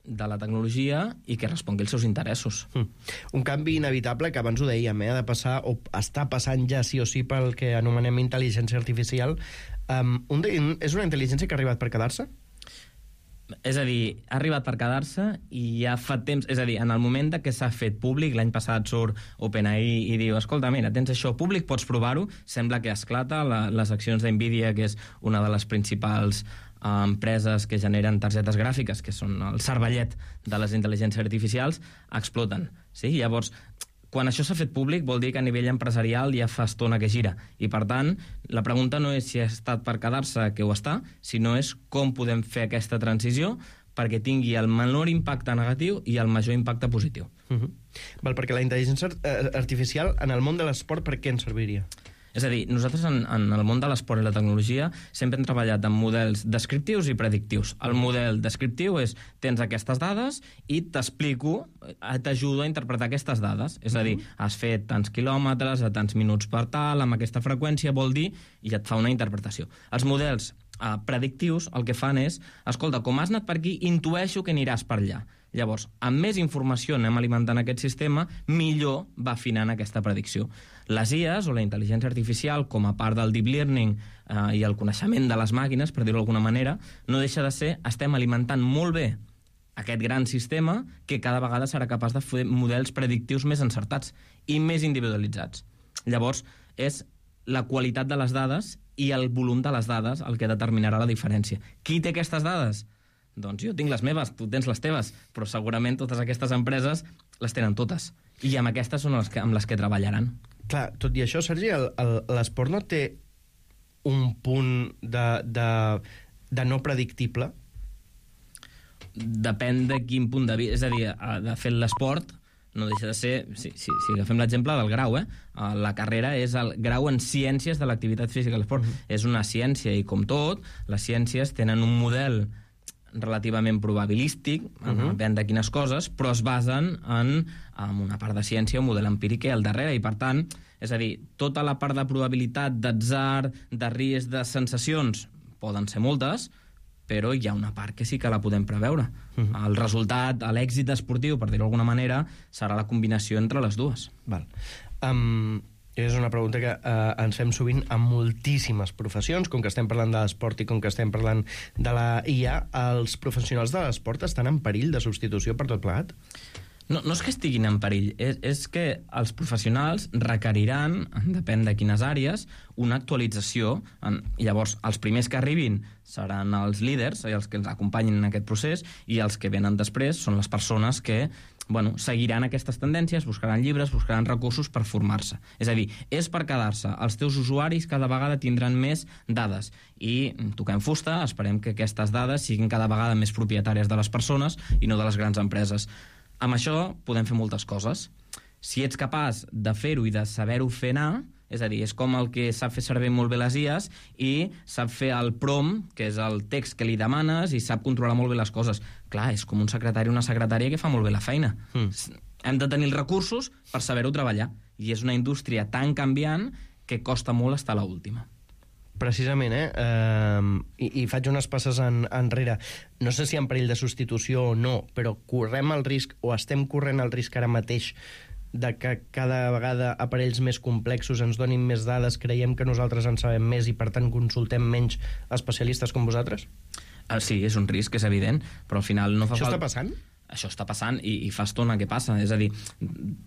de la tecnologia i que respongui als seus interessos. Un canvi inevitable que abans ho dèiem, ha de passar, o està passant ja sí o sí pel que anomenem intel·ligència artificial. És una intel·ligència que ha arribat per quedar-se? És a dir, ha arribat per quedar-se i ja fa temps, és a dir, en el moment que s'ha fet públic, l'any passat surt OpenAI i diu, escolta, mira, tens això públic, pots provar-ho, sembla que esclata, les accions d'NVIDIA, que és una de les principals empreses que generen targetes gràfiques, que són el cervellet de les intel·ligències artificials, exploten. Sí? Llavors, quan això s'ha fet públic vol dir que a nivell empresarial ja fa estona que gira. I, per tant, la pregunta no és si ha estat per quedar-se, que ho està, sinó és com podem fer aquesta transició perquè tingui el menor impacte negatiu i el major impacte positiu. Val, perquè la intel·ligència artificial en el món de l'esport per què ens serviria? És a dir, nosaltres en el món de l'esport i la tecnologia sempre hem treballat amb models descriptius i predictius. El model descriptiu és, tens aquestes dades i t'explico, t'ajudo a interpretar aquestes dades. És a dir, has fet tants quilòmetres a tants minuts per tal, amb aquesta freqüència, vol dir, i et fa una interpretació. Els models predictius el que fan és, escolta, com has anat per aquí, intueixo que aniràs per allà. Llavors, amb més informació anem alimentant aquest sistema, millor va afinant aquesta predicció. Les IAs, o la intel·ligència artificial, com a part del deep learning i el coneixement de les màquines, per dir-ho d'alguna manera, no deixa de ser, estem alimentant molt bé aquest gran sistema que cada vegada serà capaç de fer models predictius més encertats i més individualitzats. Llavors, és la qualitat de les dades i el volum de les dades el que determinarà la diferència. Qui té aquestes dades? Doncs jo tinc les meves, tu tens les teves, però segurament totes aquestes empreses les tenen totes. I amb aquestes són amb les que treballaran. Clar, tot i això, Sergi, l'esport no té un punt de no predictible? depèn de quin punt de vista... És a dir, de fer l'esport no deixa de ser... Si agafem l'exemple del grau, la carrera és el grau en ciències de l'activitat física i l'esport. És una ciència i, com tot, les ciències tenen un model relativament probabilístic, depèn de quines coses, però es basen en una part de ciència, un model empíric que hi ha al darrere, i per tant, és a dir, tota la part de probabilitat, d'atzar, de risc, de sensacions, poden ser moltes, però hi ha una part que sí que la podem preveure. El resultat, l'èxit esportiu, per dir-ho d'alguna manera, serà la combinació entre les dues. Val. És una pregunta que ens fem sovint amb moltíssimes professions, com que estem parlant de l'esport i com que estem parlant de la IA, els professionals de l'esport estan en perill de substitució per tot plegat? No és que estiguin en perill, és que els professionals requeriran, depèn de quines àrees, una actualització. Llavors, els primers que arribin seran els líders, els que ens acompanyin en aquest procés, i els que venen després són les persones que seguiran aquestes tendències, buscaran llibres, buscaran recursos per formar-se. És a dir, és per quedar-se. Els teus usuaris cada vegada tindran més dades i toquem fusta, esperem que aquestes dades siguin cada vegada més propietàries de les persones i no de les grans empreses. Amb això podem fer moltes coses. Si ets capaç de fer-ho i de saber-ho fer anar, és a dir, és com el que sap fer servir molt bé les IAs i sap fer el prompt, que és el text que li demanes, i sap controlar molt bé les coses. Clar, és com un secretari o una secretària que fa molt bé la feina. Hem de tenir els recursos per saber-ho treballar. I és una indústria tan canviant que costa molt estar a l'última. Precisament, i faig unes passes enrere. No sé si en perill de substitució o no, però correm el risc, o estem corrent el risc ara mateix, de que cada vegada aparells més complexos ens donin més dades, creiem que nosaltres en sabem més i per tant consultem menys especialistes com vosaltres? Sí, és un risc, és evident, però al final no fa falta... Això està passant? Això està passant i fa estona que passa. És a dir,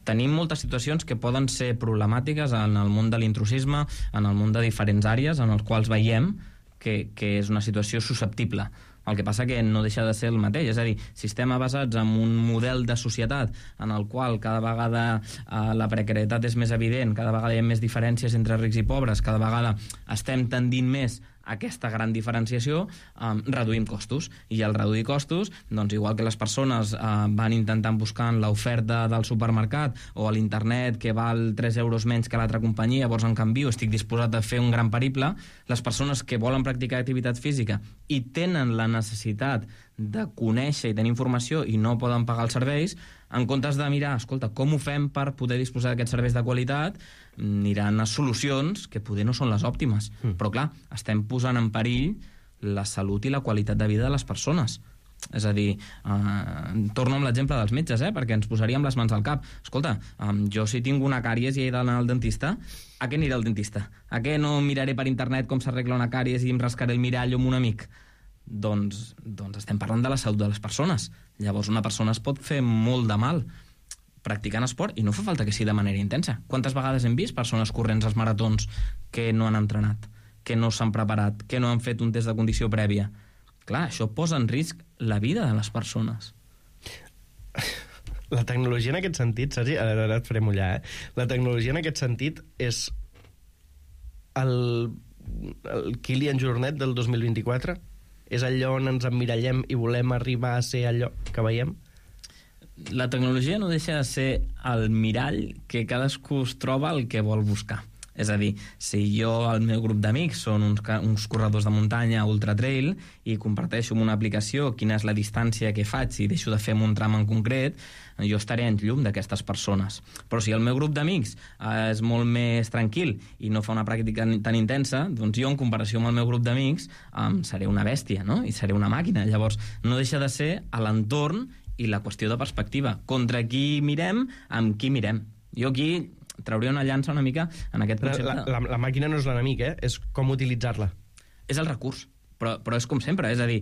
tenim moltes situacions que poden ser problemàtiques en el món de l'intrusisme, en el món de diferents àrees, en els quals veiem que és una situació susceptible. El que passa que no deixa de ser el mateix, és a dir, si estem basats en un model de societat en el qual cada vegada la precarietat és més evident, cada vegada hi ha més diferències entre rics i pobres, cada vegada estem tendint més a aquesta gran diferenciació, reduïm costos. I al reduir costos, doncs igual que les persones van intentant buscar l'oferta del supermercat o a l'internet que val 3 euros menys que l'altra companyia, llavors en canvi estic disposat a fer un gran periple, les persones que volen practicar activitat física i tenen la necessitat de conèixer i tenir informació i no poden pagar els serveis, en comptes de mirar, escolta, com ho fem per poder disposar d'aquests serveis de qualitat, aniran a solucions que poder no són les òptimes. Però clar, estem posant en perill la salut i la qualitat de vida de les persones. És a dir, torno amb l'exemple dels metges, perquè ens posaríem les mans al cap. Escolta, jo si tinc una càries i he d'anar al dentista, a què aniré al dentista? A què no miraré per internet com s'arregla una càries i em rascaré el mirall amb un amic? Doncs estem parlant de la salut de les persones. Llavors una persona es pot fer molt de mal practicant esport i no fa falta que sigui de manera intensa. Quantes vegades hem vist persones corrents als maratons que no han entrenat, que no s'han preparat, que no han fet un test de condició prèvia? Clar, això posa en risc la vida de les persones. La tecnologia en aquest sentit, Sergi, ara et faré mullar, la tecnologia en aquest sentit és el Kilian Jornet del 2024? És allò on ens emmirallem i volem arribar a ser allò que veiem? La tecnologia no deixa de ser el mirall que cadascú es troba el que vol buscar. És a dir, si jo, el meu grup d'amics, són uns corredors de muntanya ultra trail i comparteixo amb una aplicació quina és la distància que faig i deixo de fer un tram en concret, jo estaré en llum d'aquestes persones. Però si el meu grup d'amics és molt més tranquil i no fa una pràctica tan intensa, doncs jo, en comparació amb el meu grup d'amics, seré una bèstia, no? I seré una màquina. Llavors, no deixa de ser a l'entorn i la qüestió de perspectiva. Contra qui mirem, amb qui mirem. Jo aquí trauria una llança una mica en aquest concepte. La màquina no és l'enemic, és com utilitzar-la. És el recurs, però és com sempre, és a dir,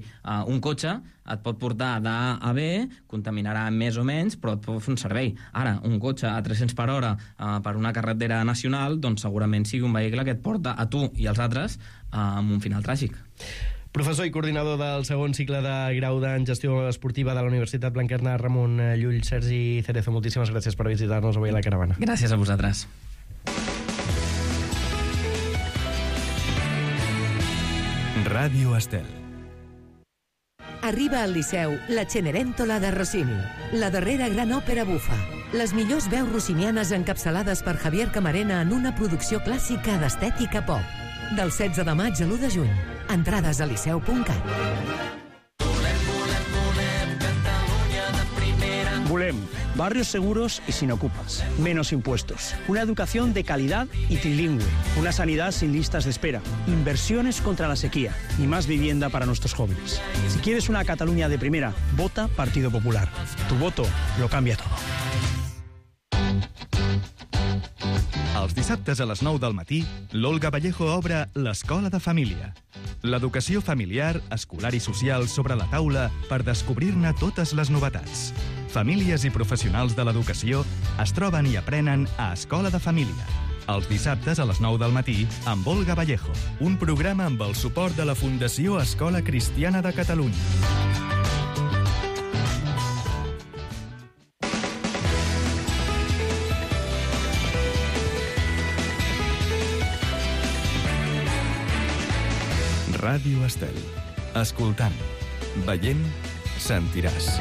un cotxe et pot portar d'A a B, contaminarà més o menys, però et pot fer un servei. Ara, un cotxe a 300 per hora per una carretera nacional, doncs segurament sigui un vehicle que et porta a tu i als altres amb un final tràgic. Professor i coordinador del segon cicle de grau en gestió esportiva de la Universitat Blanquerna, Ramon Llull. Sergi Cerezo, moltíssimes gràcies per visitar-nos avui a la caravana. Gràcies a vosaltres. Ràdio Estel. Arriba al Liceu la Cenerentola de Rossini, la darrera gran òpera bufa. Les millors veus rossinianes encapçalades per Javier Camarena en una producció clàssica d'estètica pop. Del 16 de maig a l'1 de juny. Entrades a liceu.cat. Volem barrios seguros y sin ocupas, menos impuestos, una educación de calidad y trilingüe, una sanidad sin listas de espera, inversiones contra la sequía y más vivienda para nuestros jóvenes. Si quieres una Cataluña de primera, vota Partido Popular. Tu voto lo cambia todo. Els dissabtes a les 9 del matí, l'Olga Vallejo obre l'Escola de Família. L'educació familiar, escolar i social sobre la taula per descobrir-ne totes les novetats. Famílies i professionals de l'educació es troben i aprenen a Escola de Família. Els dissabtes a les 9 del matí, amb Olga Vallejo. Un programa amb el suport de la Fundació Escola Cristiana de Catalunya. Ràdio Estel. Escoltant, veient, sentiràs.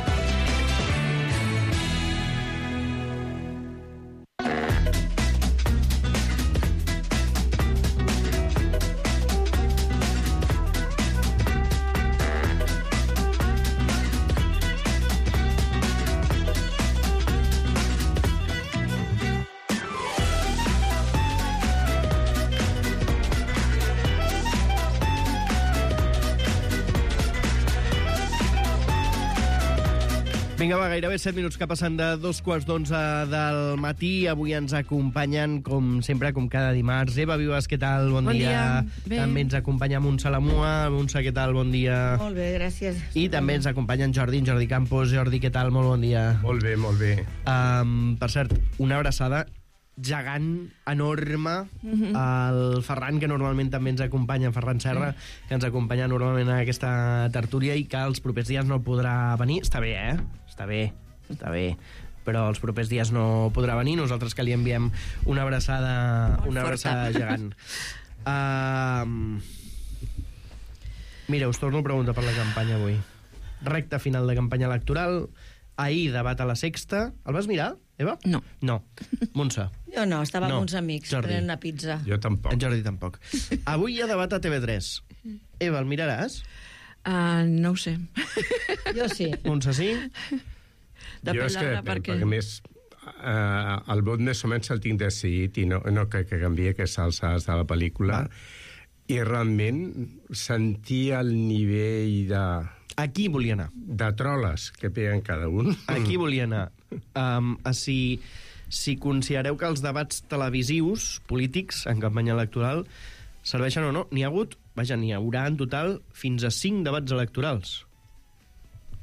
Vinga, va, gairebé 7 minuts que passen de 2:15 del matí. Avui ens acompanyen, com sempre, com cada dimarts. Eva Vives, què tal? Bon dia. Bé. També ens acompanya Montse Lamua. Montse, què tal? Bon dia. Molt bé, gràcies. I també ens acompanyen Jordi Campos. Jordi, què tal? Molt bon dia. Molt bé, molt bé. Per cert, una abraçada gegant, enorme, al Ferran, que normalment també ens acompanya, Ferran Serra, que ens acompanya normalment en aquesta tertúlia i que els propers dies no podrà venir. Està bé, eh? Està bé. Però els propers dies no podrà venir. Nosaltres que li enviem una abraçada gegant. Mira, us torno a preguntar per la campanya avui. Recta final de campanya electoral. Ahir debat a la Sexta. El vas mirar, Eva? No. No. Montse? Jo no, estava amb uns amics Jordi. prenent una pizza. Jo tampoc. En Jordi tampoc. Avui hi ha debat a TV3. Eva, el miraràs? No ho sé. Jo sí. Montse, sí? Jo és que depèn, perquè més el vot més o menys el tinc decidit i no crec que canvia aquestes alçades de la pel·lícula. I realment sentir el nivell de... Aquí volia anar. De troles que peguen cada un. Aquí volia anar. Si considereu que els debats televisius, polítics, en campanya electoral, serveixen o no, n'hi haurà en total fins a 5 debats electorals.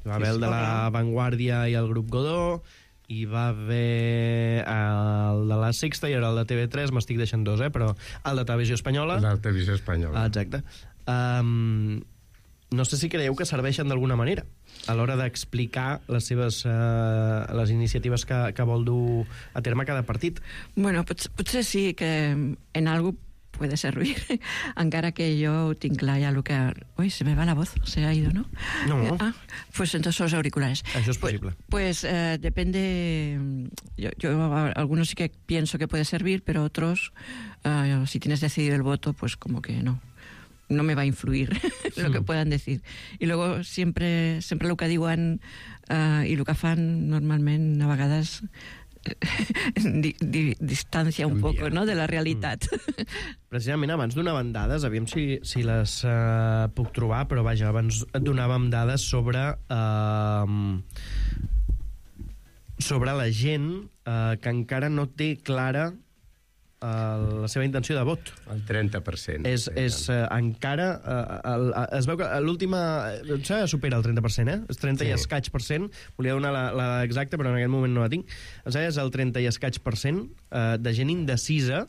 Hi va haver el de la Vanguardia i el grup Godó, hi va haver el de la Sexta i ara el de TV3, m'estic deixant 2, però el de Televisió Espanyola. El de Televisió Espanyola. Exacte. No sé si creieu que serveixen d'alguna manera a l'hora d'explicar les iniciatives que vol dur a terme cada partit. Bueno, potser sí que en algo puede servir, encara que yo tinc clar ya lo que... Uy, se me va la voz, se ha ido, ¿no? No. Pues entonces los auriculares. Eso es posible. Pues depende... Yo algunos sí que pienso que puede servir, pero otros, si tienes decidido el voto, pues como que no me va a influir lo que puedan decir. I luego sempre el que diuen i el que fan normalment a vegades distància un poc, no?, de la realitat. Precisament abans donaven dades, aviam si les puc trobar, però vaja, abans donàvem dades sobre la gent que encara no té clara la seva intenció de vot. El 30%. És encara... es veu que l'última... supera el 30%, És 30 i escaig per cent. Volia donar la exacta, però en aquest moment no la tinc. És el 30 i escaig per cent de gent indecisa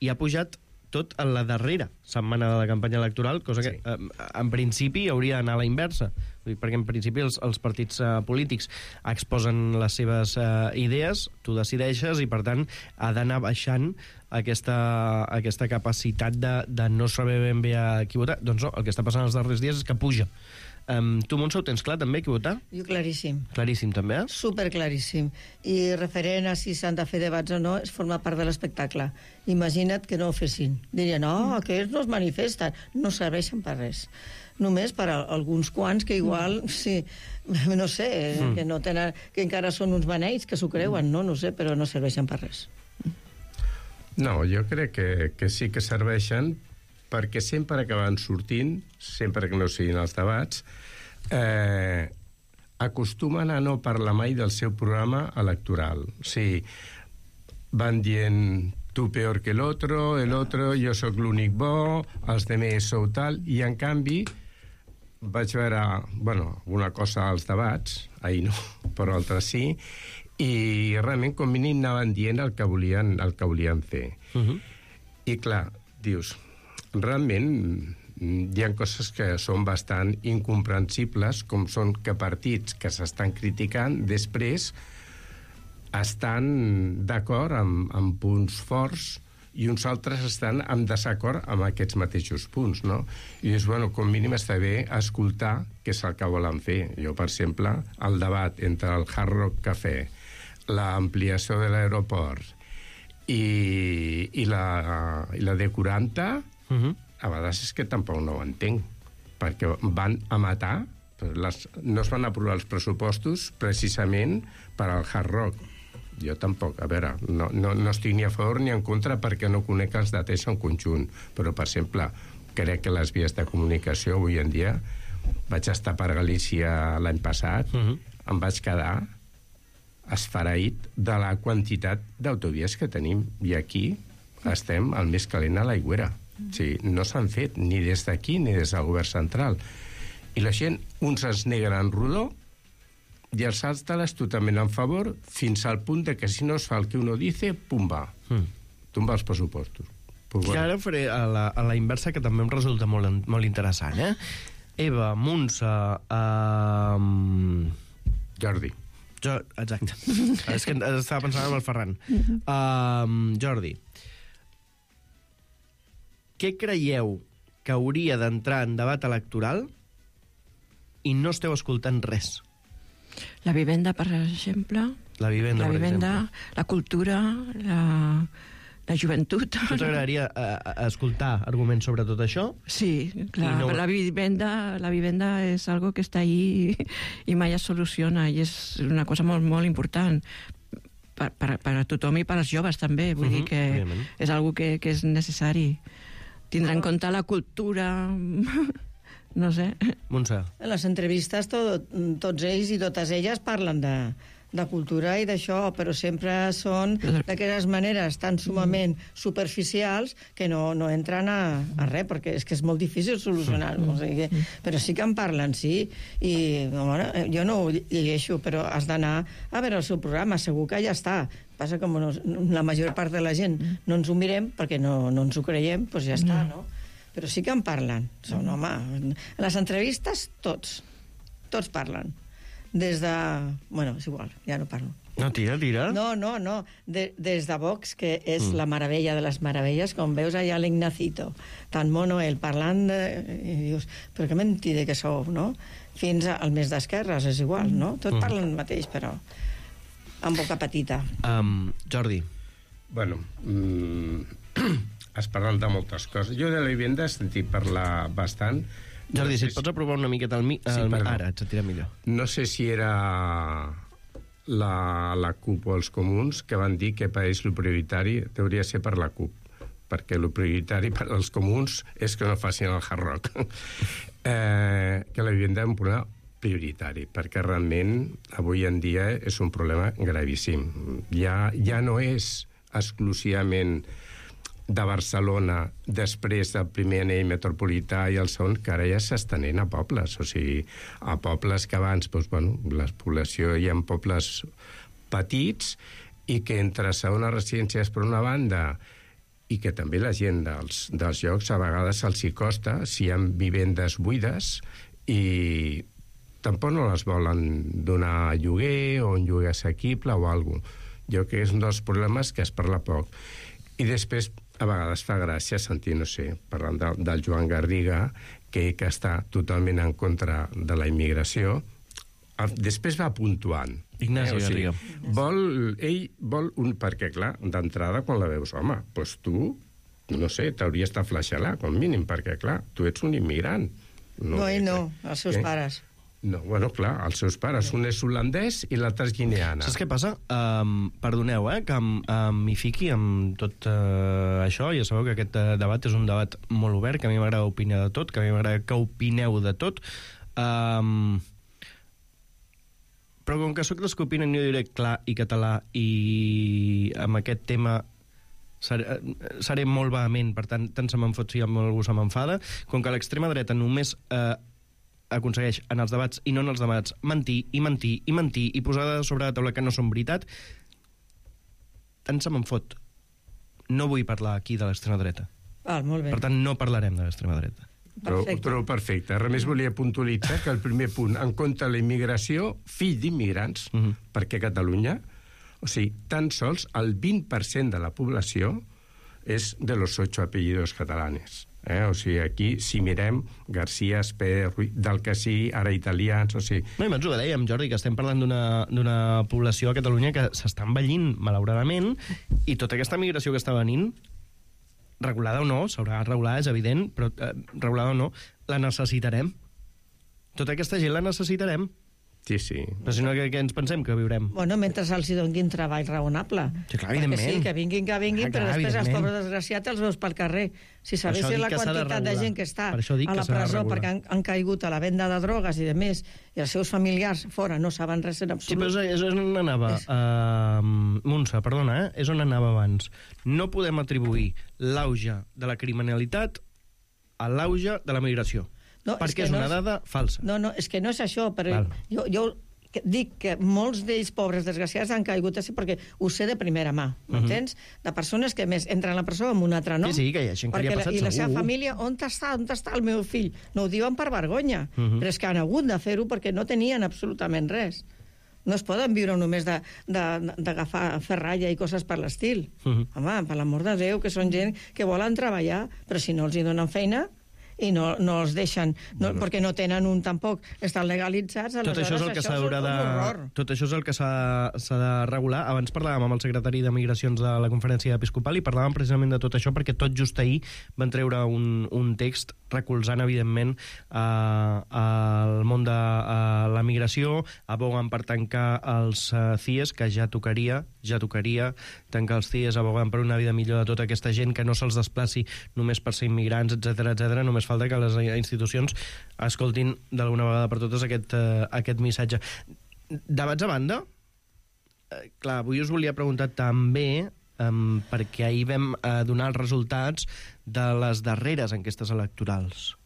i ha pujat tot a la darrera setmana de la campanya electoral, cosa que en principi hauria d'anar a la inversa, perquè en principi els partits polítics exposen les seves idees, tu decideixes i per tant ha d'anar baixant aquesta capacitat de no saber ben bé a qui votar. Doncs no, el que està passant els darrers dies és que puja Tu, Montse, ho tens clar, també, qui votar? Jo claríssim. Claríssim, també? Superclaríssim. I referent a si s'han de fer debats o no, és formar part de l'espectacle. Imagina't que no ho fessin. Dirien, no, aquests no es manifesten. No serveixen per res. Només per a alguns quants que igual, sí, no sé, que no tenen, que encara són uns beneits que s'ho creuen, no sé, però no serveixen per res. No, jo crec que sí que serveixen, perquè sempre acaben sortint, sempre que no siguin els debats, acostumen a no parlar mai del seu programa electoral. O sigui, van dient tu peor que el otro, jo sóc l'únic bo, els demés sou tal, i en canvi vaig veure, una cosa als debats, ahir no, però altres sí, i realment com mínim anaven dient el que volien fer. I clar, dius, realment hi ha coses que són bastant incomprensibles, com són que partits que s'estan criticant després estan d'acord amb punts forts i uns altres estan en desacord amb aquests mateixos punts, no? I dius, com mínim està bé escoltar què és el que volen fer. Jo, per exemple, el debat entre el Hard Rock Café, l'ampliació de l'aeroport i la D40, a vegades és que tampoc no ho entenc, perquè van a matar, no es van aprovar els pressupostos precisament per al Hard Rock. Jo tampoc, a veure, no estic ni a favor ni en contra perquè no conec els dates en conjunt, però, per exemple, crec que les vies de comunicació avui en dia, vaig estar per Galícia l'any passat, em vaig quedar esfereït de la quantitat d'autovies que tenim, i aquí estem al més calent a l'aigüera. O sigui, no s'han fet ni des d'aquí ni des del govern central. I la gent, uns es neguen en rodó i els altres totalment en favor, fins al punt de que si no es fa el que uno dice, pum, va. Tumba els pressupostos. Pues I ara faré a la inversa, que també em resulta molt interessant, Eva, Montse... Jordi. Exacte. És que estava pensant en el Ferran. Jordi, què creieu que hauria d'entrar en debat electoral i no esteu escoltant res? La vivenda, per exemple. La vivenda, la cultura, la joventut. Tu t'agradaria escoltar arguments sobre tot això? Sí, clar. No... La vivenda és algo que està ahí i mai es soluciona, i és una cosa molt, molt important per a tothom i per als joves també. Vull dir que és algo que és necessari. Tindrà en compte la cultura... No sé. Montse. En les entrevistes tots ells i totes elles parlen de cultura i d'això, però sempre són d'aquelles maneres tan sumament superficials que no entren a res, perquè és que és molt difícil solucionar-ho. O sigui, però sí que en parlen, sí. I jo no ho llegeixo, però has d'anar a veure el seu programa, segur que ja està. Passa que la major part de la gent no ens ho mirem perquè no ens ho creiem, doncs ja està, no? Però sí que en parlen. Són, home, en les entrevistes tots parlen. Des de... Bueno, és igual, ja no parlo. No, tira. No. Des de Vox, que és la meravella de les meravelles, com veus allà l'Ignacito, tan mono ell, parlant i dius, però que mentida que sou, no? Fins al mes d'esquerres, és igual, no? Tots parlen el mateix, però amb boca petita. Jordi. Bueno, es parlen de moltes coses. Jo de la vivenda he sentit parlar bastant. Jordi, si et pots aprovar una miqueta ara, et sentirà millor. No sé si era la CUP o els comuns que van dir que per ells el prioritari hauria de ser per la CUP, perquè el prioritari per als comuns és que no facin el Hard Rock. Que la vivenda és un problema prioritari, perquè realment avui en dia és un problema gravíssim. Ja no és exclusivament de Barcelona després del primer anell metropolità i el segon, que ara ja s'estenent a pobles. O sigui, a pobles que abans, la població hi ha pobles petits i que entre segones residències per una banda i que també la gent dels llocs a vegades els hi costa si hi ha vivendes buides i tampoc no les volen donar a lloguer o un lloguer assequible o alguna cosa. Jo crec que és un dels problemes que es parla poc. I després a vegades fa gràcia sentir, no sé, parlant del Joan Garriga, que està totalment en contra de la immigració. Després va puntuant. Ignasi Garriga. Ell vol un... Perquè, clar, d'entrada, quan la veus, home, doncs tu, no sé, t'hauries de flaixelar, com mínim, perquè, clar, tu ets un immigrant. No, ell no, els seus pares. No, bueno, clar, els seus pares. Un és holandès i l'altre és guineana. Saps què passa? Perdoneu, que m'hi fiqui amb tot això. Ja sabeu que aquest debat és un debat molt obert, que a mi m'agrada opinar de tot, que a mi m'agrada que opineu de tot. Però com que sóc dels que opinen, jo diré clar i català, i amb aquest tema seré molt vehement, per tant se me'n fot si algú se m'enfada. Com que l'extrema dreta només aconsegueix en els debats i no en els debats mentir i mentir i mentir i posar sobre la taula que no són veritat, tant se me'n fot. No vull parlar aquí de l'extrema dreta. Molt bé. Per tant, no parlarem de l'extrema dreta. Però perfecte. Res més volia puntualitzar que el primer punt, en contra de la immigració, fill d'immigrants, perquè Catalunya, o sigui, tan sols el 20% de la població és de los 8 apellidos catalanes. O sigui, aquí, si mirem, García, Esper, del que sí, ara italians, o sigui... No, i abans ho dèiem, Jordi, que estem parlant d'una població a Catalunya que s'està envellint, malauradament, i tota aquesta migració que està venint, regulada o no, s'haurà de regular, és evident, però regulada o no, la necessitarem. Tota aquesta gent la necessitarem. Sí, sí. Però si no, què ens pensem que viurem? Bueno, mentre els donin treball raonable. Sí, clar, evidentment. Sí, que vinguin, però després els pobres desgraciats els veus pel carrer. Si sabessin la quantitat de gent que està a la presó perquè han caigut a la venda de drogues i de més, i els seus familiars fora no saben res en absolut. Sí, però és on anava. Montse, perdona, és on anava abans. No podem atribuir l'auge de la criminalitat a l'auge de la migració. No, perquè és una dada falsa. No, és que no és això, però jo dic que molts d'ells pobres desgraciats han caigut així perquè ho sé de primera mà, m'entens? De persones que més entren a la presó amb un altre nom. Sí, que hi ha gent que li ha passat segur. I la seva família, on està el meu fill? No ho diuen per vergonya, però és que han hagut de fer-ho perquè no tenien absolutament res. No es poden viure només d'agafar ferralla i coses per l'estil. Home, per l'amor de Déu, que són gent que volen treballar, però si no els hi donen feina i no els deixen, perquè no tenen tampoc, estan legalitzats, tot això és el que tot això és el que s'ha de regular. Abans parlàvem amb el secretari de Migracions de la Conferència Episcopal i parlàvem precisament de tot això perquè tot just ahir van treure un text recolzant, evidentment, el món de la migració, aboguen per tancar els CIEs, que ja tocaria tancar els CIEs, abogant per una vida millor de tota aquesta gent, que no se'ls desplaci només per ser immigrants, etc. Només falta que les institucions escoltin d'alguna vegada per totes aquest missatge. Debats a banda, clar, avui us volia preguntar també, perquè ahir vam donar els resultats de les darreres enquestes electorals.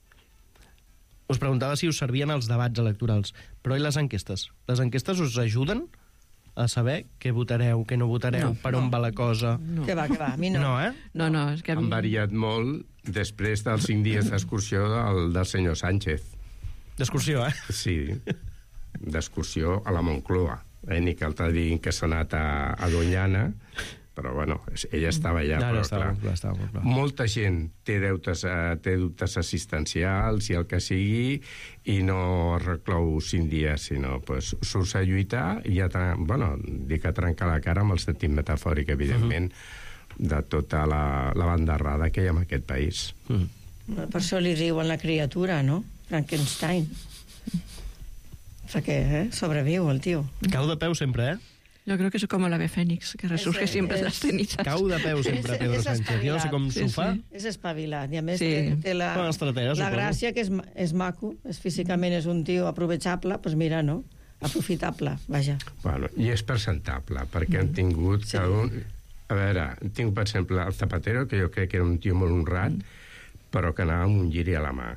Us preguntava si us servien els debats electorals, però i les enquestes? Les enquestes us ajuden a saber què votareu, què no votareu, per on va la cosa? Que va, a mi no. No, és que... Han variat molt després dels 5 dies d'excursió del senyor Sánchez. D'excursió, Sí, d'excursió a la Moncloa. Ni que altre diguin que s'ha anat a Doñana, però bueno, ella estava allà. Estava molt clar. Molta gent té dubtes assistencials i el que sigui, i no reclou 5 dies, sinó surts a lluitar i dic a trencar la cara amb el sentit metafòric, evidentment, de tota la bandarrada que hi ha en aquest país. Per això li diuen la criatura, no? Frankenstein. Perquè sobreviu el tio. Cau de peu sempre, Yo creo que es como el ave fénix, que resurge siempre de las cenizas. Cau de peu sempre, Pedro Sánchez. Jo no sé com s'ho fa. És espavilat. I a més té la gràcia que és maco, físicament és un tio aprovechable, doncs mira, no? Aprofitable, vaja. Bueno, i és presentable, perquè han tingut cada un... A veure, tinc, per exemple, el Zapatero, que jo crec que era un tio molt honrat, però que anava amb un lliri a la mà.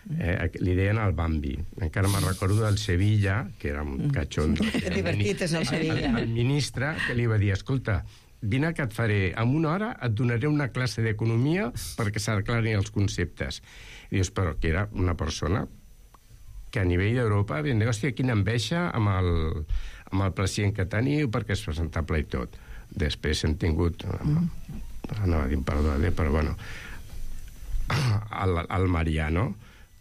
Li deien el Bambi. Encara me'n recordo del Sevilla, que era un catxondo. Que divertit és el Sevilla. El ministre que li va dir, escolta, vine que et faré, en una hora et donaré una classe d'economia perquè s'aclarin els conceptes. I dius, però que era una persona que a nivell d'Europa vam dir, hòstia, quina enveja amb el president que teniu perquè és presentable i tot. Després hem tingut anava a dir perdó, però bueno, el Mariano,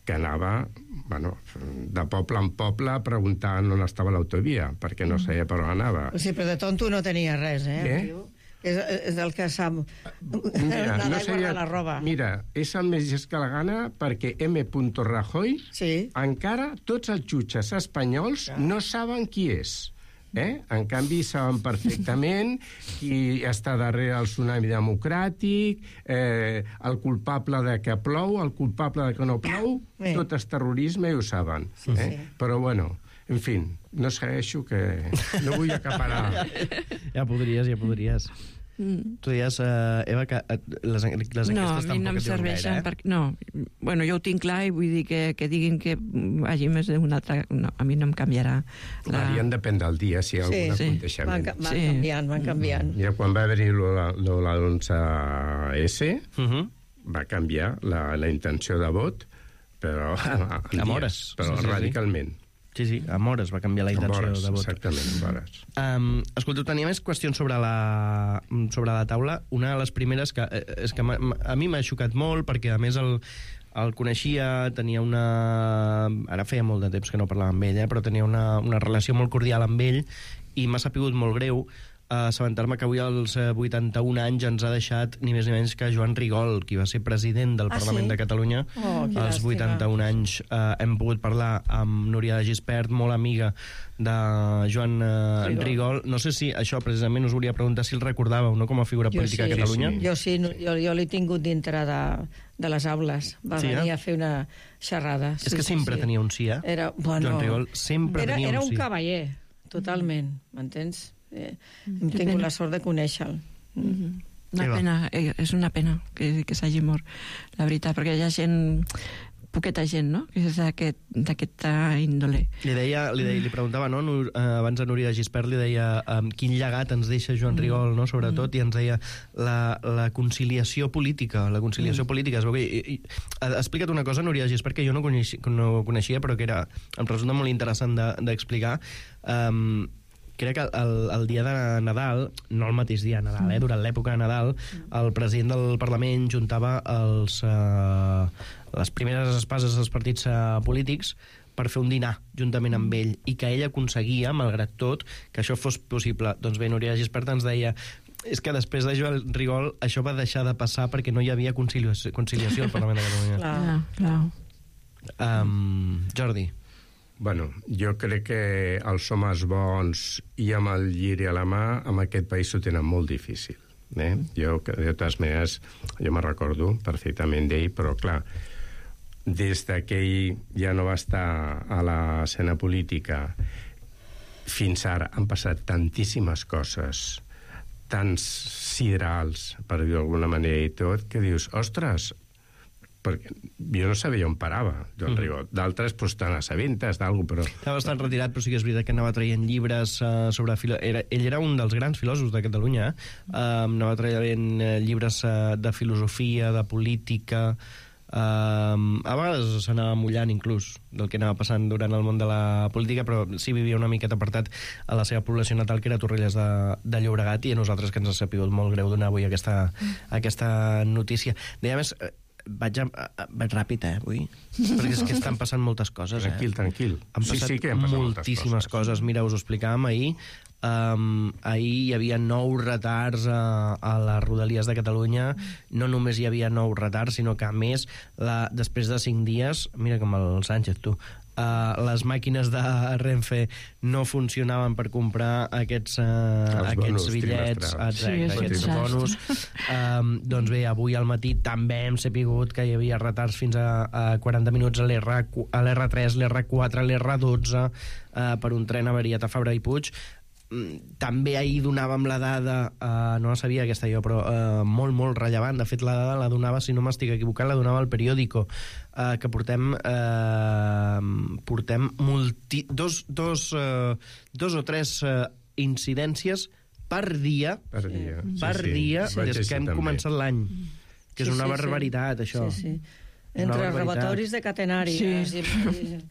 que anava de poble en poble preguntant on estava l'autovia, perquè no sabia per on anava. Sí, però de tonto no tenia res, Què? És el que sap Mira, guardar la roba. Mira, és el més llest que la gana perquè M. Rajoy encara tots els jutges espanyols no saben qui és. En canvi, saben perfectament qui està darrere el tsunami democràtic, el culpable de que plou, el culpable de que no plou, tot és terrorisme i ho saben. Però, bueno, en fi, no segueixo, que no vull acaparar. Ja podries. Tu deies, Eva, que les enquestes tampoc no em serveixen perquè, no, bueno, jo ho tinc clar i vull dir que diguin que hagi més d'una altra, no, a mi no em canviarà Varien depèn del dia, si hi ha algun aconteixement. Van canviant. Mira, quan va haver-hi l'11S, va canviar la intenció de vot, però amb hores, però radicalment. Sí, amb hores va canviar la intenció de vot. Exactament, amb hores. Escolteu, tenia més qüestions sobre la taula. Una de les primeres que és que a mi m'ha xocat molt, perquè a més el coneixia, tenia una... Ara feia molt de temps que no parlava amb ell, però tenia una relació molt cordial amb ell, i m'ha sapigut molt greu assabentar-me que avui als 81 anys ens ha deixat ni més ni menys que Joan Rigol, qui va ser president del Parlament de Catalunya. Als 81 anys hem pogut parlar amb Núria de Gispert, molt amiga de Joan Rigol. No sé si això precisament us volia preguntar si el recordàveu, no?, com a figura política a Catalunya. Jo sí, jo l'he tingut dintre de les aules. Va venir a fer una xerrada. És que sempre tenia un sí, Joan Rigol sempre tenia un sí. Era un cavaller, totalment, m'entens? Hem tingut la sort de conèixer-lo. Una pena, és una pena que s'hagi mort, la veritat, perquè hi ha gent, poqueta gent, no?, que és d'aquesta índole. Li preguntava, no?, abans a Núria de Gispert li deia quin llegat ens deixa Joan Rigol, no?, sobretot, i ens deia la conciliació política, es veu que... Explica't una cosa, Núria de Gispert, que jo no coneixia, però que em resulta molt interessant d'explicar. Crec que el dia de Nadal, no el mateix dia de Nadal, durant l'època de Nadal, el president del Parlament juntava les primeres espases dels partits polítics per fer un dinar juntament amb ell, i que ell aconseguia, malgrat tot, que això fos possible. Doncs bé, Núria de Gispert ens deia és que després de Joan Rigol això va deixar de passar perquè no hi havia conciliació al Parlament de Catalunya. Clar. Jordi. Bueno, jo crec que els homes bons i amb el lliri a la mà en aquest país ho tenen molt difícil. Jo, de totes maneres, jo me'n recordo perfectament d'ell, però clar, des que ell ja no va estar a l'escena política fins ara han passat tantíssimes coses, tants siderals, per dir-ho d'alguna manera i tot, que dius, ostres, perquè jo no sabia on parava, Joan Rigol. D'altres, doncs, tan assabentes d'algú, però... Estava bastant retirat, però sí que és veritat que anava traient llibres sobre... Ell era un dels grans filòsofs de Catalunya, anava traient llibres de filosofia, de política... a vegades s'anava mullant inclús del que anava passant durant el món de la política, però sí vivia una miqueta apartat a la seva població natal, que era Torrelles de Llobregat, i a nosaltres que ens ha sapigut molt greu donar avui aquesta notícia. Deia més... Vaig ràpid, avui, perquè és que estan passant moltes coses. Tranquil. Han passat que han passat moltíssimes coses. Mira, us ho explicàvem ahir. Ahir hi havia 9 retards a les Rodalies de Catalunya. No només hi havia 9 retards, sinó que, a més, després de 5 dies... Mira com el Sánchez, tu. Les màquines de Renfe no funcionaven per comprar aquests bitllets, aquests bonus. Doncs bé, avui al matí també hem sapigut que hi havia retards fins a 40 minuts a l'R3, l'R4, l'R12 per un tren avariat a Fabra i Puig. També ahir donàvem la dada, no la sabia aquesta jo, però molt, molt rellevant. De fet, la dada la donava, si no m'estic equivocant, la donava al Periódico, que portem dos o tres incidències per dia des que hem començat l'any, que és una barbaritat, això. Entre robatoris de catenària.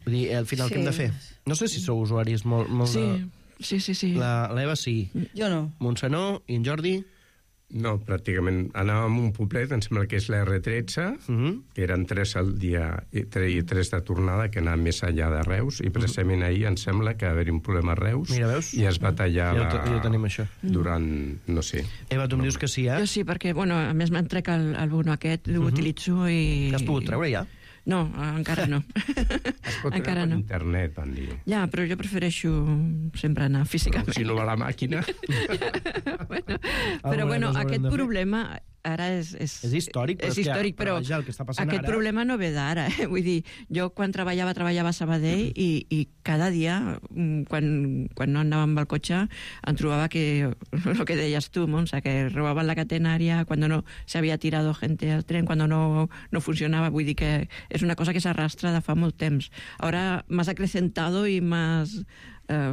Vull dir, al final què hem de fer? No sé si sou usuaris molt Sí. L'Eva sí. Jo no. Montsenó i en Jordi? No, pràcticament. Anàvem a un poblet, em sembla que és la R13, que eren 3 al dia i 3 de tornada, que anava més enllà de Reus, i precisament ahir em sembla que va haver un problema a Reus. Mira, veus? I es va tallar ja ho tenim, això. Durant, no sé. Eva, tu em dius que sí, eh? Jo sí, perquè, bueno, a més me'n trec el bono aquest, l'utilitzo i... L'has pogut treure ja? No, encara no. Es pot treure per internet, van dir. Ja, però jo prefereixo sempre anar físicament. Però si no va la màquina... Però, bueno, aquest problema ara és històric, és històric, però vaja, el que està passant aquest ara... problema no ve d'ara. Vull dir, jo quan treballava a Sabadell i cada dia, quan no anava amb el cotxe, em trobava que, el que deies tu, Montse, que robaven la catenària, quan no se había tirado gente al tren, quan no funcionava. Vull dir que és una cosa que s'arrastra de fa molt temps. Ahora más acrecentado y más...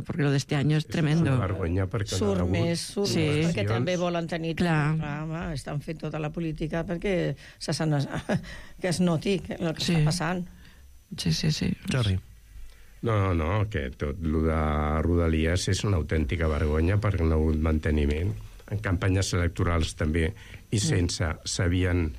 porque lo de este año es tremendo. És una vergonya perquè surt més, perquè també volen tenir... Clar. Estan fent tota la política perquè que es noti el que està passant. Sí. Jordi. No, que tot el de Rodalies és una autèntica vergonya perquè no ha hagut manteniment. En campanyes electorals també, i sense, s'havien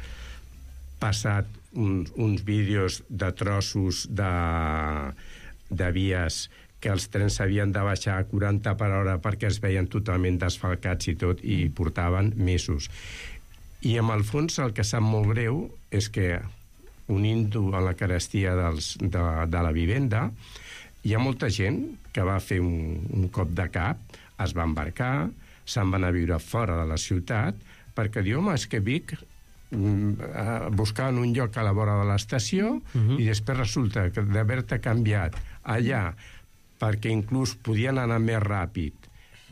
passat uns vídeos de trossos de vies que els trens s'havien de baixar a 40 per hora perquè es veien totalment desfalcats i tot, i portaven mesos. I amb el fons el que sap molt greu és que, unint-ho a la carestia de la vivenda, hi ha molta gent que va fer un cop de cap, es va embarcar, se'n van a viure fora de la ciutat, perquè diu, home, és que Vic buscaven un lloc a la vora de l'estació i després resulta que d'haver-te canviat allà perquè inclús podien anar més ràpid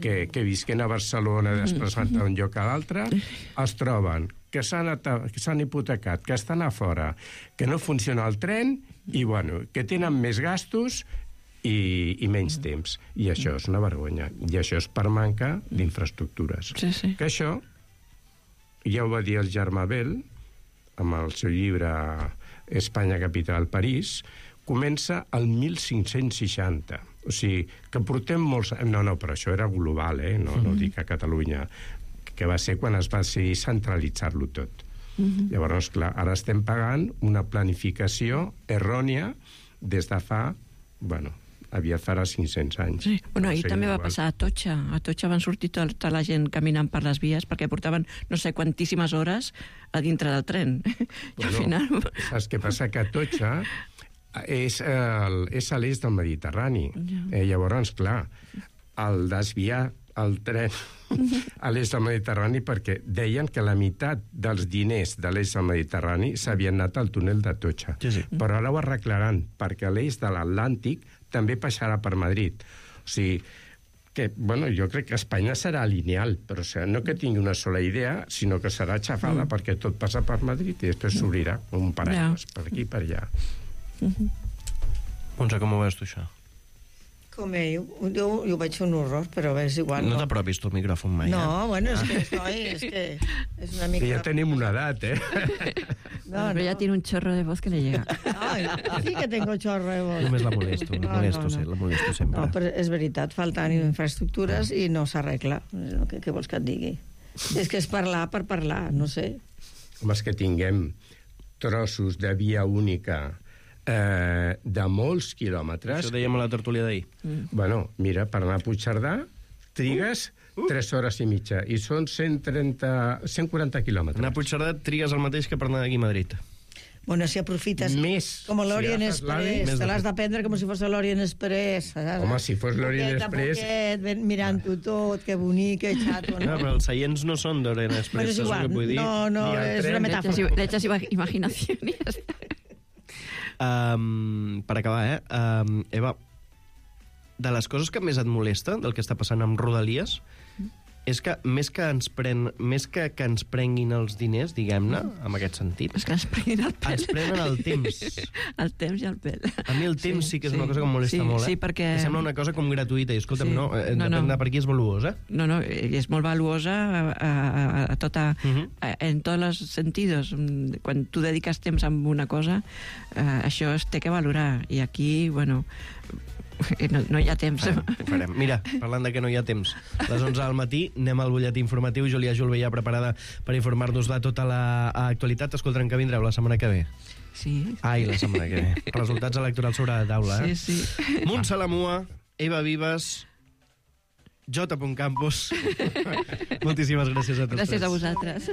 que visquen a Barcelona desplaçant d'un lloc a l'altre, es troben que s'han hipotecat, que estan a fora, que no funciona el tren i, bueno, que tenen més gastos i menys temps. I això és una vergonya. I això és per manca d'infraestructures. Sí. Que això, ja ho va dir el Germà Bel, amb el seu llibre Espanya, capital, París, comença el 1560. O sigui, que portem molts... No, però això era global, no dic a Catalunya, que va ser quan es va decidir centralitzar-lo tot. Llavors, clar, ara estem pagant una planificació errònia des de fa, aviat farà 500 anys. Sí. Bueno, ahir també va passar a Atocha. A Atocha van sortir tota la gent caminant per les vies perquè portaven no sé quantíssimes hores a dintre del tren. I al final... Saps què passa? Que Atocha és a l'est del Mediterrani. Llavors, clar, el desviar el tren a l'est del Mediterrani, perquè deien que la meitat dels diners de l'est del Mediterrani s'havien anat al túnel d'Atocha. Sí. Però ara ho arreglaran, perquè l'est de l'Atlàntic també passarà per Madrid. O sigui, que, jo crec que Espanya serà lineal, però no que tingui una sola idea, sinó que serà xafada perquè tot passa per Madrid i després s'obrirà un paraigua per aquí i per allà. Montse, com ho veus tu, això? Com jo ho veig un horror, però és igual. No t'apropis tu al micròfon mai, és que és una mica... Ja tenim una edat, Pero ya tiene un chorro de voz que le llega. Ay, sí que tengo chorro de voz. Només la molesto, la molesto sempre. No, però és veritat, falten infraestructures i no s'arregla. Què vols que et digui? És que és parlar per parlar, no sé. Home, és que tinguem trossos de via única de molts quilòmetres. Això dèiem a la tertúlia d'ahir. Bueno, mira, per anar a Puigcerdà trigues 3 hores i mitja i són 140 quilòmetres. Anar a Puigcerdà trigues el mateix que per anar d'aquí a Madrid. Bueno, si aprofites com l'Orient Express, te l'has de prendre com si fos l'Orient Express. Home, si fos l'Orient Express... Mirant-ho tot, que bonic, que xato, no? Però els seients no són d'Orient Express, és igual, no, és una metàfora. Le echas imaginación i ja està. Per acabar, Eva, de les coses que més et molesta del que està passant amb Rodalies és que més que ens prenguin els diners, diguem-ne, en aquest sentit, és que ens prenguin el pèl. Ens prenen el temps. El temps i el pèl. A mi el temps sí que és una cosa que em molesta molt, Sí, perquè... Que sembla una cosa com gratuïta, i escolta'm, depèn de per qui és valuosa. No, és molt valuosa a tota, en tots els sentidos. Quan tu dediques temps a una cosa, això es té que valorar. I aquí, no hi ha temps. Ho farem. Mira, parlant de que no hi ha temps, a les 11 del matí anem al butlletí informatiu. Júlia Julve ja preparada per informar-nos de tota l'actualitat. Escoltarem que vindreu la setmana que ve. Sí. Ai, la setmana que ve. Resultats electorals sobre la taula, eh? Sí, sí. Montse Lamua, Eva Vives, J. Campos. Moltíssimes gràcies a tots. Gràcies a vosaltres.